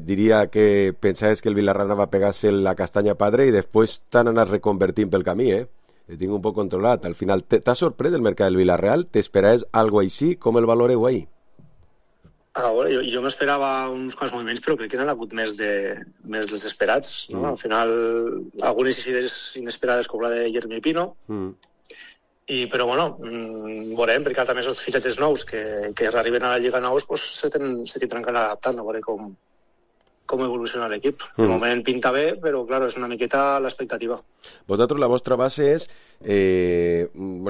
diria que pensaves que el Villarreal anava a pegar-se la castanya padre i després t'han anat reconvertint pel camí, El tinc un poc controlat. Al final, t'ha sorprès el mercat del Villarreal? T'esperaves algo així? Com el valoreu ahí? A veure, jo m'esperava uns quants moviments, però crec que n'han hagut més dels esperats, no? Al final, algunes inesperades com la de Jeremy Pino, però bueno, veurem, perquè també els fitxatges nous que arriben a la Lliga nous se tindran que anar adaptant, a veure com evoluciona l'equip. De moment pinta bé, però clar, és una miqueta l'expectativa. Vosaltres, la vostra base és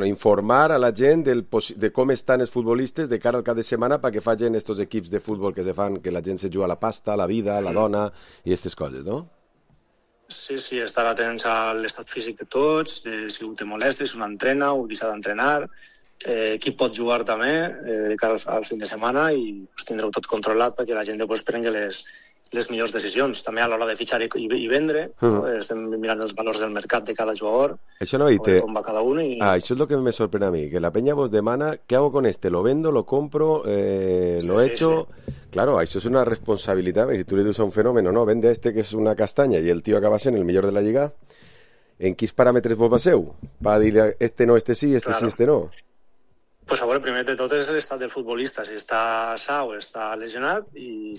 informar a la gent de com estan els futbolistes de cara al cap de setmana perquè facin estos equips de futbol que se fan, que la gent se juga la pasta, la vida, la dona i aquestes coses, no? Sí, estar atents a l'estat físic de tots, si ho té molest, si un entrena o qui s'ha d'entrenar, qui pot jugar també de cara al fin de setmana i tindreu tot controlat perquè la gent després prengui les millors decisions. També a l'hora de fitxar i vendre, estem mirant els valors del mercat de cada jugador, com va cada un. Això és el que me sorprèn a mi, que la peña vos demana, ¿qué hago con este? ¿Lo vendo? ¿Lo compro? ¿Lo echo? Sí. Claro, això és una responsabilitat, si tu li dius a un fenòmeno, no, vende este que és una castanya i el tio acaba sent el millor de la lliga, en quins paràmetres vos baseu? Va dir este no, este sí, este sí, este no? Pues a veure, primer de tot és l'estat del futbolista, si està sa o està lesionat i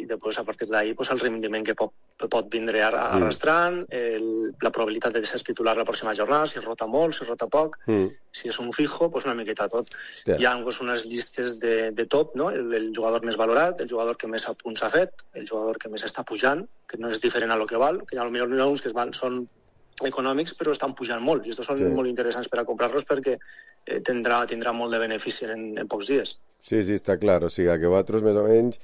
després a partir d'ahí el rendiment que pot vindre arrastrant, la probabilitat de ser titular la pròxima jornada, si rota molt, si rota poc, si és un fijo, una miqueta tot. Hi ha unes llistes de top, no? El jugador més valorat, el jugador que més punts ha fet, el jugador que més està pujant, que no és diferent a lo que val, que potser hi ha uns que són econòmics però estan pujant molt i estos són molt interessants per a comprar-los perquè tindrà molt de benefici en pocs dies. Sí, està clar, o sigui que vosaltres més o menys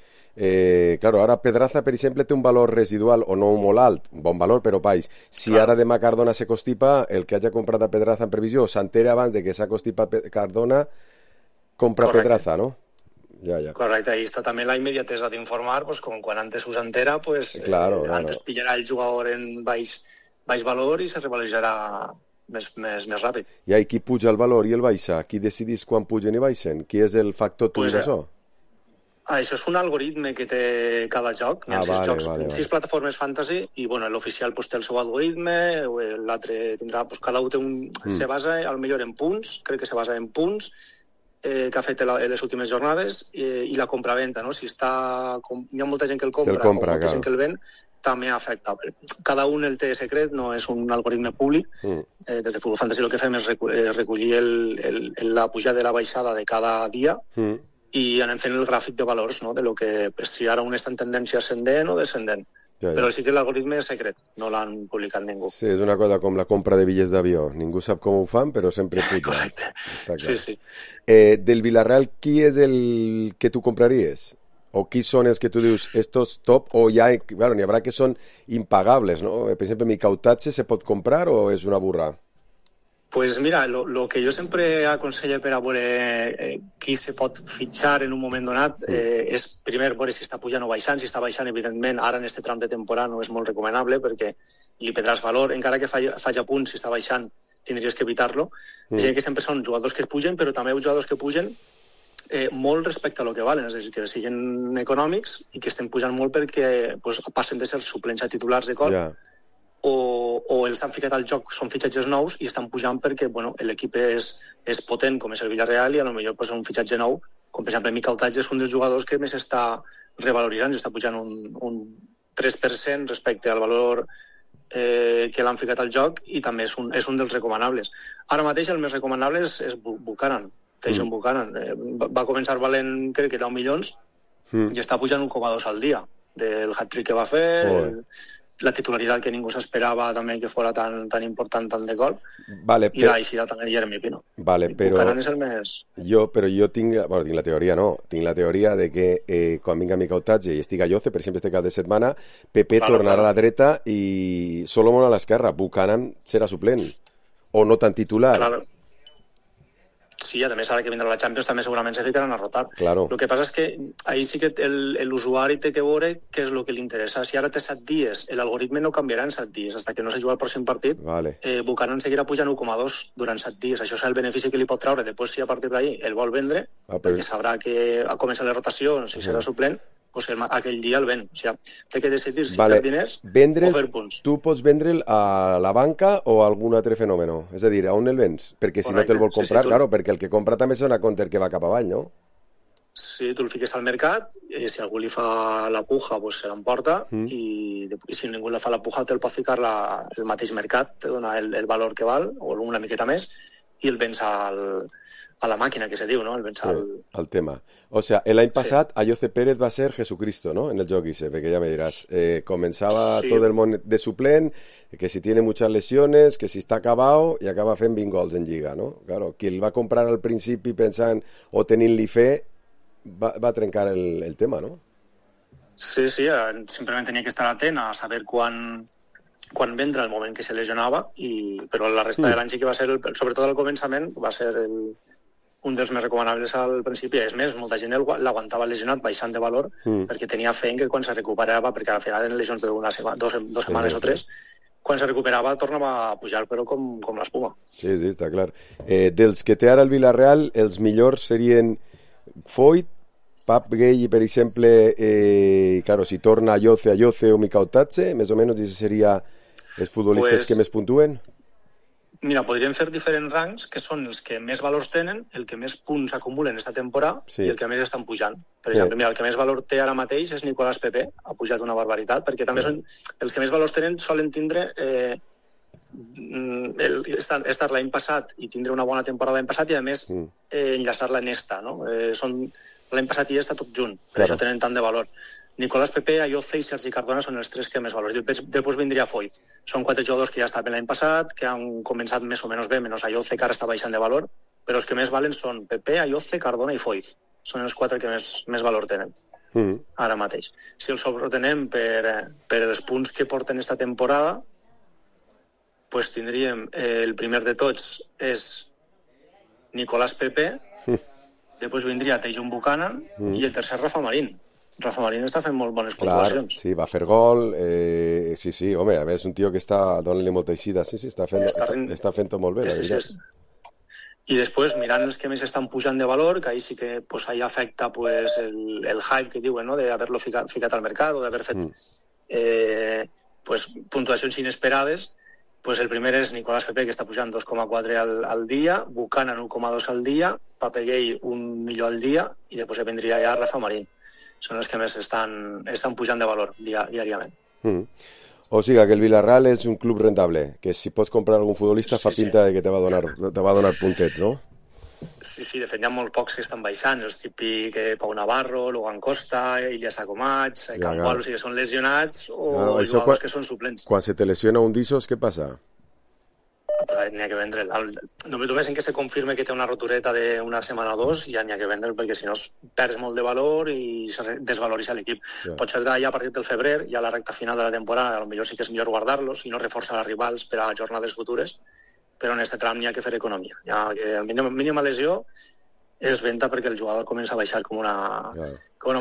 claro, ara Pedraza per exemple té un valor residual o no molt alt, bon valor però baix, si ara demà Cardona se constipa, el que hagi comprat a Pedraza en previsió s'entera abans de que s'ha constipat Cardona compra Pedraza, no? Ja. Correcte, ahí està també la immediatesa d'informar, com quan antes us entera, antes pillarà el jugador en baix valor i se revalorizarà més ràpid. I qui puja el valor i el baixa? Qui decidís quan pugen i baixen? Qui és el factor d'això? Això és un algoritme que té cada joc. Hi ha 6 jocs, 6 plataformes fantasy i l'oficial té el seu algoritme, l'altre tindrà... Cada un se basa, potser en punts, crec que se basa en punts que ha fet les últimes jornades i la compra-venta, no? Si hi ha molta gent que el compra o molta gent que el ven, també afecta. Cada un el té secret, no és un algoritme públic. Des de Futbol Fantasy el que fem és recollir la pujada i la baixada de cada dia i anem fent el gràfic de valors, no? De lo que si ara un està en tendència ascendent o descendent. Però sí que l'algoritme és secret, no l'han publicat ningú. Sí, és una cosa com la compra de bitllets d'avió. Ningú sap com ho fan, però sempre puja. Correcte, sí. Del Villarreal, qui és el que tu compraries? O qui són els que tu dius, estos top, o ja, claro, n'hi haurà que són impagables, no? Per exemple, Micautatge se pot comprar o és una burra? Pues mira, lo que jo sempre aconsello per a veure qui se pot fitxar en un moment donat és primer veure si està pujant o baixant. Si està baixant, evidentment, ara en aquest tram de temporada no és molt recomanable perquè li perdràs valor. Encara que faci a punt, si està baixant, tindries que evitar-lo. És a dir, que sempre són jugadors que pugen, però també jugadors que pugen molt respecte a lo que valen, és a dir, que siguin econòmics i que estem pujant molt perquè passen de ser suplents a titulars de cop. O els han ficat al joc, són fitxatges nous i estan pujant perquè l'equip és potent, com és el Villarreal, i potser un fitxatge nou, com per exemple Micautatge és un dels jugadors que més està revaloritzant, està pujant un 3% respecte al valor que l'han ficat al joc, i també és un dels recomanables. Ara mateix el més recomanable és Buchanan, Tyson Buchanan. Va començar valent, crec que 10 milions, i està pujant 1,2 al dia del hat-trick que va fer, la titularitat que ningú s'esperava també que fora tan important, tant de gol, i l'aixida també de Jeremy Pino. Buchanan és el més... Jo tinc la teoria, tinc la teoria de que quan vinga Micautatge i estigui Ayoce, per exemple, este cap de setmana, Pepe tornarà a la dreta i Solomon a l'esquerra. Buchanan serà suplent, o no tan titular. Sí, a més, ara que vindrà la Champions també segurament se ficaran a rotar. Claro. El que passa és que ahí sí que l'usuari té que veure què és el que li interessa. Si ara té 7 dies, l'algoritme no canviarà en 7 dies, fins que no se juga el pròxim partit. Buchanan seguirà pujant 1,2 durant 7 dies. Això és el benefici que li pot treure. Després, si a partir d'ahí el vol vendre, perquè sabrà que ha començat la rotació, si serà suplent, pues aquell dia el ven. O sigui, té que decidir si fer diners o fer punts. Tu pots vendre'l a la banca o a algun altre fenomen? És a dir, a on el vens? Perquè si no te'l vol comprar, claro, perquè el que compra també és una compter que va cap avall, no? Sí, tu el fiques al mercat, si algú li fa la puja, pues se l'emporta, i si ningú li fa la puja te'l pot ficar el mateix mercat, te dona el valor que val, o una miqueta més, i el vens a la màquina, que se diu, no? El vens al tema. O sea, l'any passat Ayoce Pérez va ser Jesucristo, ¿no? En el joc ese, perquè ja me dirás. Comenzaba todo el món de suplent, que si tiene muchas lesiones, que si está acabado, i acaba fent 20 gols en Lliga, no? Claro, qui el va comprar al principi pensant o tenint-li fe, va trencar el tema, no? Sí, simplement tenia que estar atent a saber quan vendre el moment que se lesionava, però la resta de l'any sí que va ser, sobretot al començament, va ser un dels més recomanables al principi. És més, molta gent l'aguantava lesionat baixant de valor perquè tenia fe en que quan se recuperava, perquè al final eren lesions de dos setmanes o 3, quan se recuperava tornava a pujar, però com l'espuma. Sí, està clar. Dels que té ara el Villarreal, els millors serien Foyt, Pap Gay, per exemple, claro, si torna Ayoce o Micautatge, més o menys, i seria els futbolistes que més puntuen? Mira, podríem fer diferents rangs, que són els que més valors tenen, el que més punts acumulen aquesta temporada i el que més estan pujant. Per exemple, mira, el que més valor té ara mateix és Nicolás Pepe, ha pujat una barbaritat, perquè també són els que més valors tenen solen tindre estar l'any passat i tindre una bona temporada l'any passat i, a més, enllaçar-la en esta, no? L'any passat i esta tot junt, per això tenen tant de valor. Nicolás Pepe, Ayoce i Sergi Cardona són els 3 que més valors. Després vindria Foyt. Són 4 jugadors que ja estaven l'any passat, que han començat més o menys bé, menys Ayoce, que ara està baixant de valor, però els que més valen són Pepe, Ayoce, Cardona i Foyt. Són els 4 que més valor tenen ara mateix. Si els sobretenem per els punts que porten esta temporada, pues tindríem el primer de tots és Nicolás Pepe, després vindria Tyson Buchanan i el tercer Rafa Marín. Rafa Marín està fent molt bones puntuacions. Sí, va fer gol, sí, home, a més un tio que està donant-li molta eixida, sí, està fent-ho molt bé, la veritat. I després, mirant els que més estan pujant de valor, que ahí sí que ahí afecta el hype que diuen, no?, d'haver-lo ficat al mercat o d'haver fet puntuacions inesperades. El primer és Nicolás Pepe, que està pujant 2,4 al dia, Buchanan 1,2 al dia, Pape Gay 1 milió al dia, i després vendria ja Rafa Marín. Són els que més estan pujant de valor diàriament. O sigui que el Villarreal és un club rentable, que si pots comprar algun futbolista fa pinta de que te va donar puntets, no? Sí, de fet hi ha molt pocs que estan baixant, els típics Pau Navarro, Logan Costa, Ilya Sacomach, Campoal, o sigui que són lesionats o jugadors que són suplents. Quan se te lesiona un d'ixos, què passa? n'hi ha que vendre. Només en que se confirme que té una rotureta d'una setmana o dos, ja n'hi ha que vendre, perquè si no perds molt de valor i se desvaloritza l'equip. Potser d'allà a partir del febrer, ja a la recta final de la temporada, potser sí que és millor guardar-los i no reforçar els rivals per a jornades futures, però en aquest tram n'hi ha que fer economia. Ja que el mínima lesió és venta perquè el jugador comença a baixar com una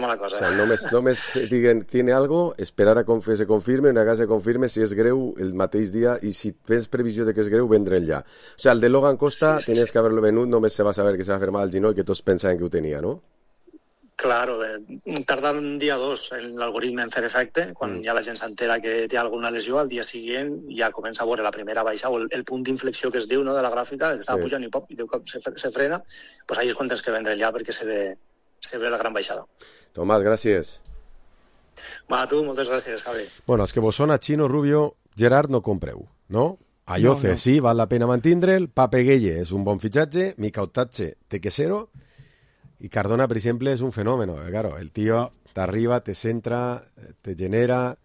mala cosa. O sea, només diguen, tiene algo, esperar a que se confirme, una vegada se confirme, si és greu, el mateix dia, i si tens previsió de que és greu, vendre'l ja. O sea, el de Logan Costa, tenies que haverlo venut, només se va saber que se va fer mal al genoll, que tots pensaven que ho tenia, no? Claro, tarda un dia o dos en l'algoritme en fer efecte, quan ja la gent s'entera que té alguna lesió, al dia següent ja comença a veure la primera baixa, o el punt d'inflexió que es diu, no, de la gràfica, que estava pujant i pop, i de cop se frena, doncs ahí és quan tens que vendre ja, perquè se ve la gran baixada. Tomàs, gràcies. Va, tu, moltes gràcies, Javi. Bueno, els que vos sona Chino, Rubio, Gerard, no compreu, no? Ayoce, sí, val la pena mantindre'l, Pape Gueye és un bon fitxatge, Mikautatze té que ser-ho, y Cardona, por ejemplo, es un fenómeno. Claro, el tío te arriba, te centra, te genera,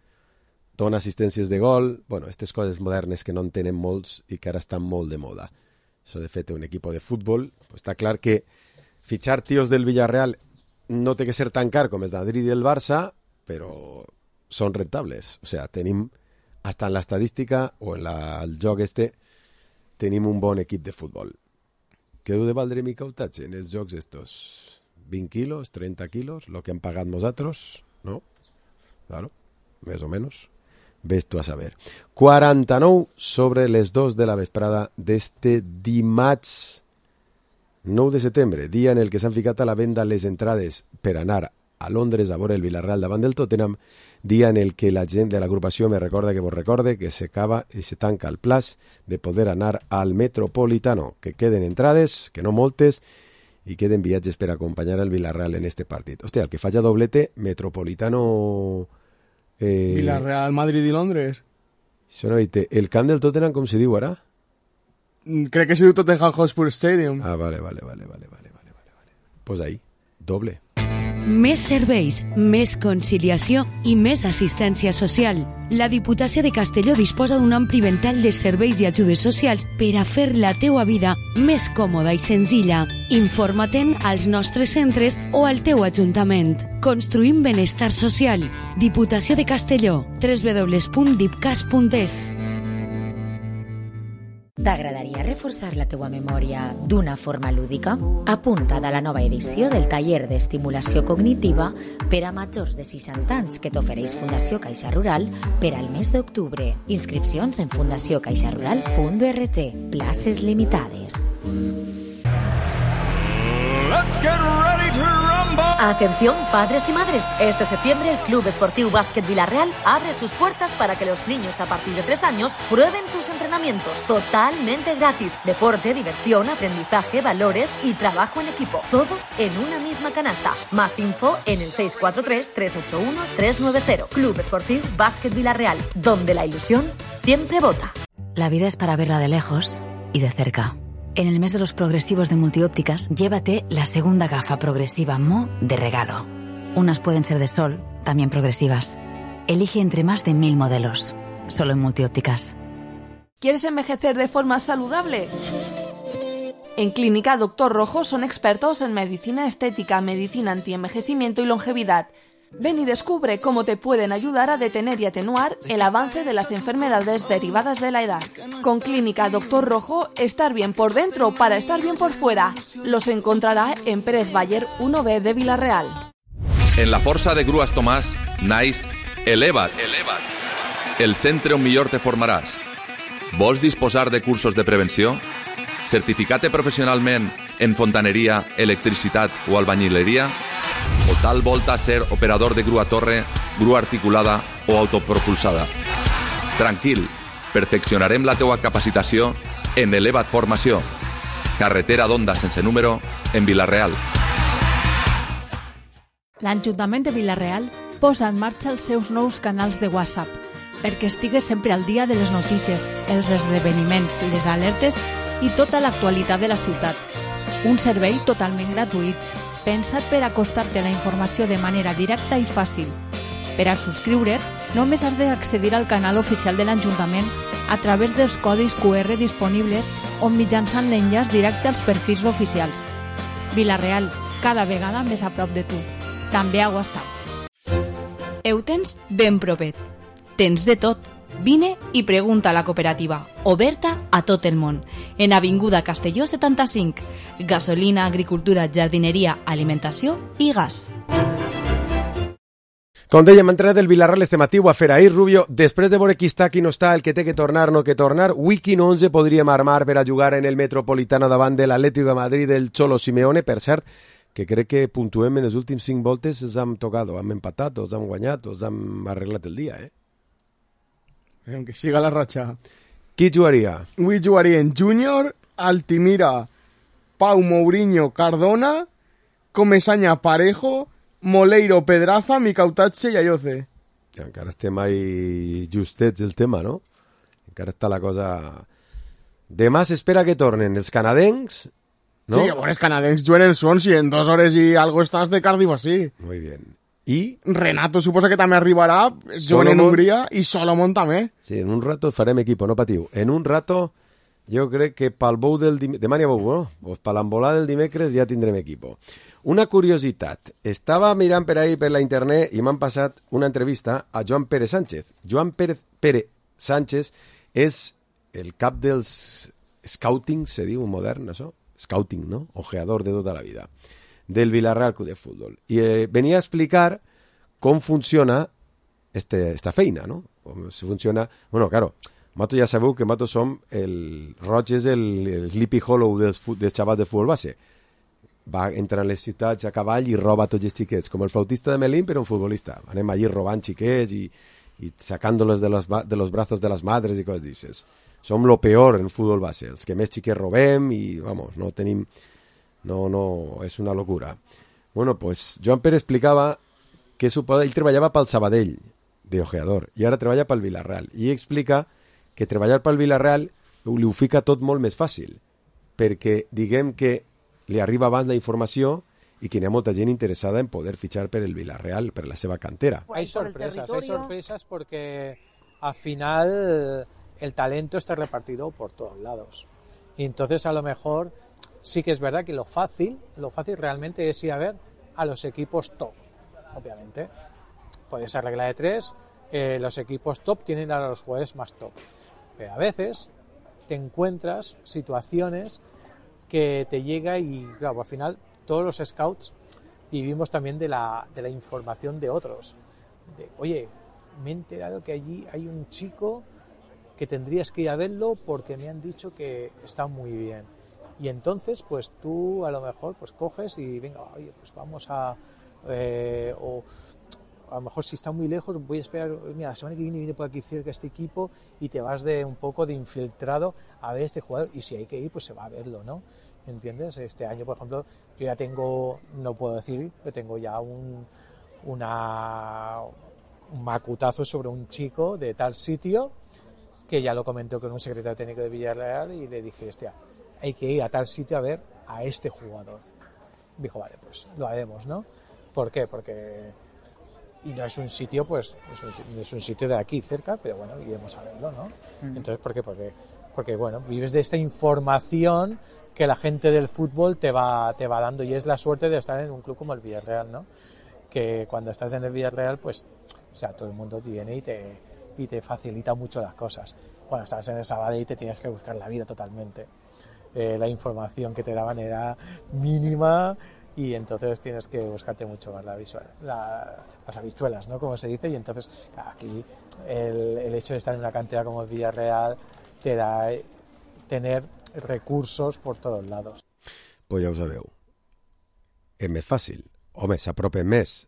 dona assistències de gol. Bueno, aquestes coses modernes que no en tenen molts i que ara estan molt de moda. Això, de fet, un equip de futbol. Pues està clar que fitxar tios del Villarreal no té que ser tan car com el Madrid i el Barça, però són rentables. O sea, tenim, hasta en l'estadística o en el joc tenim un bon equip de futbol. Què deu de valdre Mikautatze en els jocs estos? 20 quilos, 30 quilos, lo que han pagat nosaltres, no? Claro, més o menys. Ves tu a saber. 49 sobre les 2 de la vesprada d'este dimarts 9 de setembre, dia en el que s'han ficat a la venda les entrades per anar a Londres a veure el Villarreal davant del Tottenham, dia en el que la gent de l'agrupació me recorda que vos recorde que s'acaba i se tanca el plaç de poder anar al Metropolitano, que queden entrades, que no moltes, i queden viatges per acompanyar el Villarreal en este partit. Hòstia, el que faci doblete, Metropolitano... Villarreal, Madrid i Londres. Això no dite. El camp del Tottenham, com se diu ara? Crec que se diu Tottenham Hotspur Stadium. Ah, vale. Pues ahí, doble. Més serveis, més conciliació i més assistència social. La Diputació de Castelló disposa d'un ampli ventall de serveis i ajudes socials per a fer la teua vida més còmoda i senzilla. Informa-te'n als nostres centres o al teu ajuntament. Construïm benestar social. Diputació de Castelló. www.dipcas.es. T'agradaria reforçar la teua memòria d'una forma lúdica? Apunta't a la nova edició del taller d'estimulació cognitiva per a majors de 60 anys que t'ofereix Fundació Caixa Rural per al mes d'octubre. Inscripcions en fundacioncaixarural.org. Places limitades. Let's get ready to rumble. Atención, padres y madres. Este septiembre el Club Esportiu Básquet Villarreal abre sus puertas para que los niños a partir de 3 años prueben sus entrenamientos totalmente gratis. Deporte, diversión, aprendizaje, valores y trabajo en equipo. Todo en una misma canasta. Más info en el 643-381-390. Club Esportiu Básquet Villarreal, donde la ilusión siempre vota. La vida es para verla de lejos y de cerca. En el mes de los progresivos de Multiópticas, llévate la segunda gafa progresiva Mo de regalo. Unas pueden ser de sol, también progresivas. Elige entre más de 1000 modelos. Solo en Multiópticas. ¿Quieres envejecer de forma saludable? En Clínica Doctor Rojo son expertos en medicina estética, medicina antienvejecimiento y longevidad. Ven y descubre cómo te pueden ayudar a detener y atenuar el avance de las enfermedades derivadas de la edad. Con Clínica Doctor Rojo, estar bien por dentro para estar bien por fuera. Los encontrarà en Pérez Bayer 1B de Villarreal. En la força de Grues Tomàs, naix Eleva't. El centre on millor te formaràs. Vols disposar de cursos de prevenció? Certificat professionalment en fontaneria, electricitat o albañileria? O tal volta ser operador de grua torre, grua articulada o autopropulsada? Tranquil, perfeccionarem la teua capacitació en Eleva't Formació. Carretera d'Onda sense número, en Vila-real. L'Ajuntament de Vila-real posa en marxa els seus nous canals de WhatsApp perquè estigues sempre al dia de les notícies, els esdeveniments, les alertes i tota l'actualitat de la ciutat. Un servei totalment gratuït, pensat per acostar-te la informació de manera directa i fàcil. Per a subscriure't, només has d'accedir al canal oficial de l'Ajuntament a través dels codis QR disponibles o mitjançant l'enllaç directe als perfils oficials. Vila-real, cada vegada més a prop de tu. També a WhatsApp. Ho tens ben propet. Tens de tot. Vine i pregunta a la cooperativa, oberta a tot el món. En Avinguda Castelló 75. Gasolina, agricultura, jardineria, alimentació i gas. Com dèiem, hem entrenat el Vilarreal este matí, ho a fer ahir, Rubio. Després de veure qui està, qui no està, el que té que tornar, no que tornar, Wiki 11 podríem armar per a jugar en el Metropolitano davant de l'Atlético de Madrid del Cholo Simeone. Per cert, que crec que puntuem en les últims 5 voltes, ens hem tocat, hem empatat, o hem guanyat, o hem arreglat el dia, Que siga la ratxa. Qui jugaria? Avui jugarien Júnior, Altimira, Pau, Mourinho, Cardona, Comesaña, Parejo, Moleiro, Pedraza, Micautatxe i Ayoce. Encara estem ahí justets el tema, no? Encara està la cosa... Demà s'espera que tornen els canadencs, no? Sí, els canadencs juguen en Swansea, en 2 hores i algo estàs de Cardiff así. Muy bien. I Renato suposa que també arribarà, juguen en Hongria, i Solomon també. Sí, en un rato farem equipo, no patiu. En un rato, jo crec que pel bou del dimecres... Demà n'hi ha bou, no? Pues per l'embolà del dimecres ja tindrem equipo. Una curiositat. Estava mirant per ahí per la internet i m'han passat una entrevista a Joan Pérez Sánchez. Joan Pérez Sánchez és el cap dels scouting, se diu modern, això? Scouting, no? Ojeador de tota la vida. Del Villarreal Club de Fútbol. Y venía a explicar cómo funciona esta feina, ¿no? Com funciona... Bueno, claro, Mato ja sabeu que Mato som el Roig és el Sleepy Hollow dels xavals de futbol base. Va entrar en les ciutats a cavall i roba tots els xiquets, com el flautista de Melín, però un futbolista. Anem allí robant xiquets i sacándolos de los brazos de las madres i coses d'aixes. Som lo peor en futbol base, els que més xiquets robem i, vamos, no tenim... No, és una locura. Bueno, pues Joan Pérez explicava que ell treballava pel Sabadell, de ojeador, i ara treballa pel Villarreal. I explica que treballar pel Villarreal li ho fica tot molt més fàcil, perquè diguem que li arriba abans la informació i que hi ha molta gent interessada en poder fitxar per el Villarreal, per la seva cantera. Hay sorpresas porque al final el talento está repartido por todos lados. Y entonces a lo mejor sí que es verdad que lo fácil realmente es ir a ver a los equipos top, obviamente. Puede ser regla de 3, los equipos top tienen a los jugadores más top. Pero a veces te encuentras situaciones que te llega y, claro, al final todos los scouts vivimos también de la información de otros. Oye, me he enterado que allí hay un chico que tendrías que ir a verlo porque me han dicho que está muy bien. Y entonces, pues tú a lo mejor pues coges y venga, oye, pues vamos a... o a lo mejor si está muy lejos voy a esperar, mira, la semana que viene por aquí cerca este equipo y te vas de un poco de infiltrado a ver este jugador y si hay que ir, pues se va a verlo, ¿no? ¿Entiendes? Este año, por ejemplo, yo ya tengo, no puedo decir, pero tengo ya un macutazo sobre un chico de tal sitio que ya lo comentó con un secretario técnico de Villarreal y le dije, hostia, hay que ir a tal sitio a ver a este jugador. Dijo, vale, pues lo haremos, ¿no? ¿Por qué? Porque... Y no es un sitio, pues, es un sitio de aquí cerca, pero bueno, iremos a verlo, ¿no? Entonces, ¿por qué? Porque, bueno, vives de esta información que la gente del fútbol te va dando y es la suerte de estar en un club como el Villarreal, ¿no? Que cuando estás en el Villarreal, pues, o sea, todo el mundo viene y te facilita mucho las cosas. Cuando estás en el Sabadell te tienes que buscar la vida totalmente. La información que te daban era mínima y entonces tienes que buscarte mucho más las habichuelas, ¿no? Como se dice, y entonces aquí el hecho de estar en una cantera como el Villarreal te da tener recursos por todos lados. Pues ja ho sabeu. És més fàcil. Home, s'apropen més.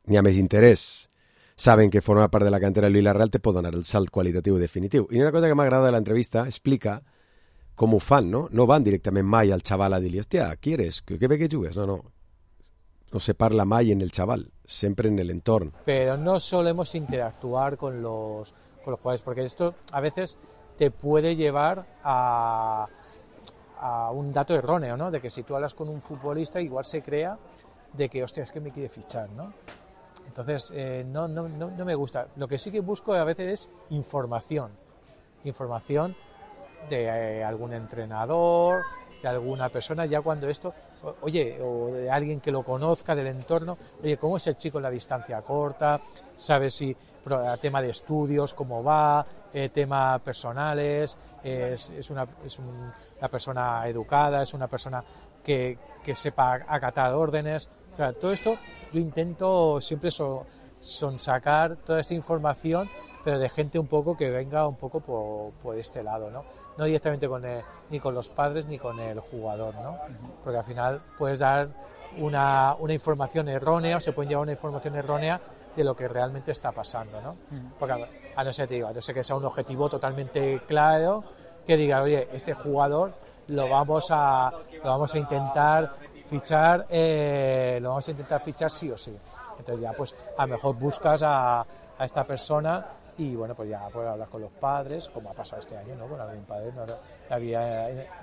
N'hi ha més interès. Saben que formar part de la cantera del Villarreal te pot donar el salt qualitatiu definitiu. I una cosa que m'agrada de l'entrevista, explica com ho fan, no? No van directament mai al xaval a dir-li, hòstia, qui eres? ¿Qué ve que jugues? No. No se parla mai en el chaval, siempre en el entorno. Pero no solemos interactuar con los jugadores, porque esto a veces te puede llevar a un dato erróneo, ¿no? De que si tú hablas con un futbolista, igual se crea de que, hostia, es que me quiere fichar, ¿no? Entonces, no me gusta. Lo que sí que busco a veces es información. información de algún entrenador, de alguna persona, ya cuando esto, oye, o de alguien que lo conozca del entorno, oye, ¿cómo es el chico en la distancia corta? ¿Sabes si tema de estudios, cómo va, temas personales, es una persona educada, es una persona que sepa acatar órdenes? O sea, todo esto yo intento siempre sonsacar toda esta información, pero de gente un poco que venga un poco por este lado, ¿no? No directamente ni con los padres ni con el jugador, ¿no? Porque al final puedes dar una información errónea, o se puede llevar una información errónea de lo que realmente está pasando, ¿no? Porque a no ser que sea un objetivo totalmente claro, que diga, oye, este jugador lo vamos a intentar fichar, sí o sí. Entonces ya pues a lo mejor buscas a esta persona y bueno, pues ya puedo hablar con los padres, como ha pasado este año, ¿no? Con algún padre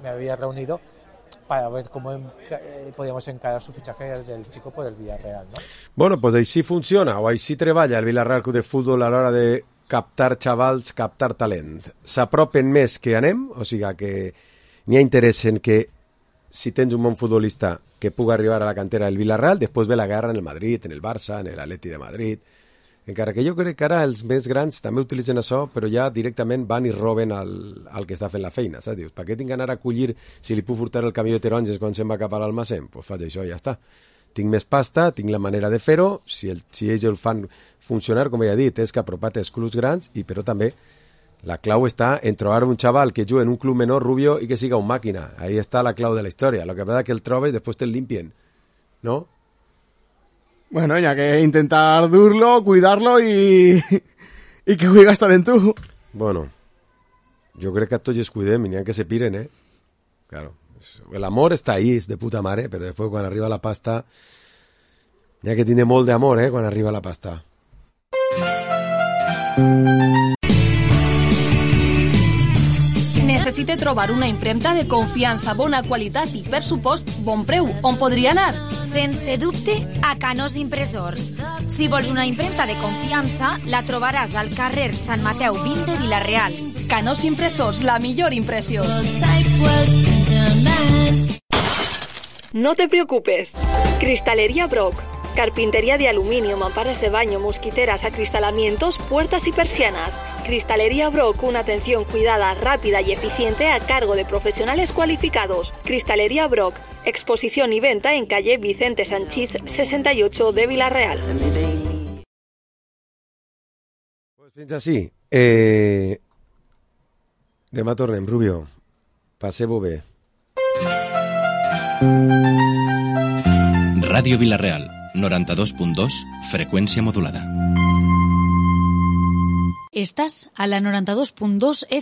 me había reunido para ver cómo podíamos encarar su fichaje del chico por el Villarreal, ¿no? Bueno, pues així funciona, o així treballa el Villarreal Club de Futbol a l'hora de captar xavals, captar talent. S'apropen més que anem, o sigui que n'hi ha interès en que si tens un bon futbolista que puga arribar a la cantera del Villarreal, després ve la guerra en el Madrid, en el Barça, en l'Atleti de Madrid. Encara que jo crec que ara els més grans també utilitzen això, però ja directament van i roben al que està fent la feina, saps? Dius, per què tinc que anar a collir si li puc furtar el camió de taronges quan se'n va cap a l'almacén? Doncs faig això i ja està. Tinc més pasta, tinc la manera de fer-ho, si ells el fan funcionar, com ja he dit, és que apropar-te als clubs grans, però també la clau està en trobar un xaval que juga en un club menor, rubio, i que siga un màquina. Ahí està la clau de la història. Lo que pasa es que el trobes i després te'l limpien, ¿no? Bueno, ya que intentar durlo, cuidarlo y que juegue a estar en tú. Bueno, yo creo que a tots els cuidem i n'hi ha que se piren, ¿eh? Claro, el amor está ahí, es de puta mare, pero después cuando arriba la pasta, n'hi ha que tiene molt d'amor, ¿eh? Quan arriba la pasta. Necessite trobar una impremta de confiança, bona qualitat i, per supost, bon preu. On podria anar? Sense dubte, a Canós Impressors. Si vols una impremta de confiança, la trobaràs al carrer Sant Mateu 20 de Vila-real. Canós Impressors, la millor impressió. No te preocupes. Cristalería Brock. Carpintería de aluminio, mamparas de baño, mosquiteras, acristalamientos, puertas y persianas. Cristalería Brock, una atención cuidada, rápida y eficiente a cargo de profesionales cualificados. Cristalería Brock, exposición y venta en calle Vicente Sanchís 68 de Vila-real. Pues fins així. Demà tornem, Rubio. Passeu-ho bé. Ràdio Vila-real, 92.2, freqüència modulada. Estàs a la 92.2 FM.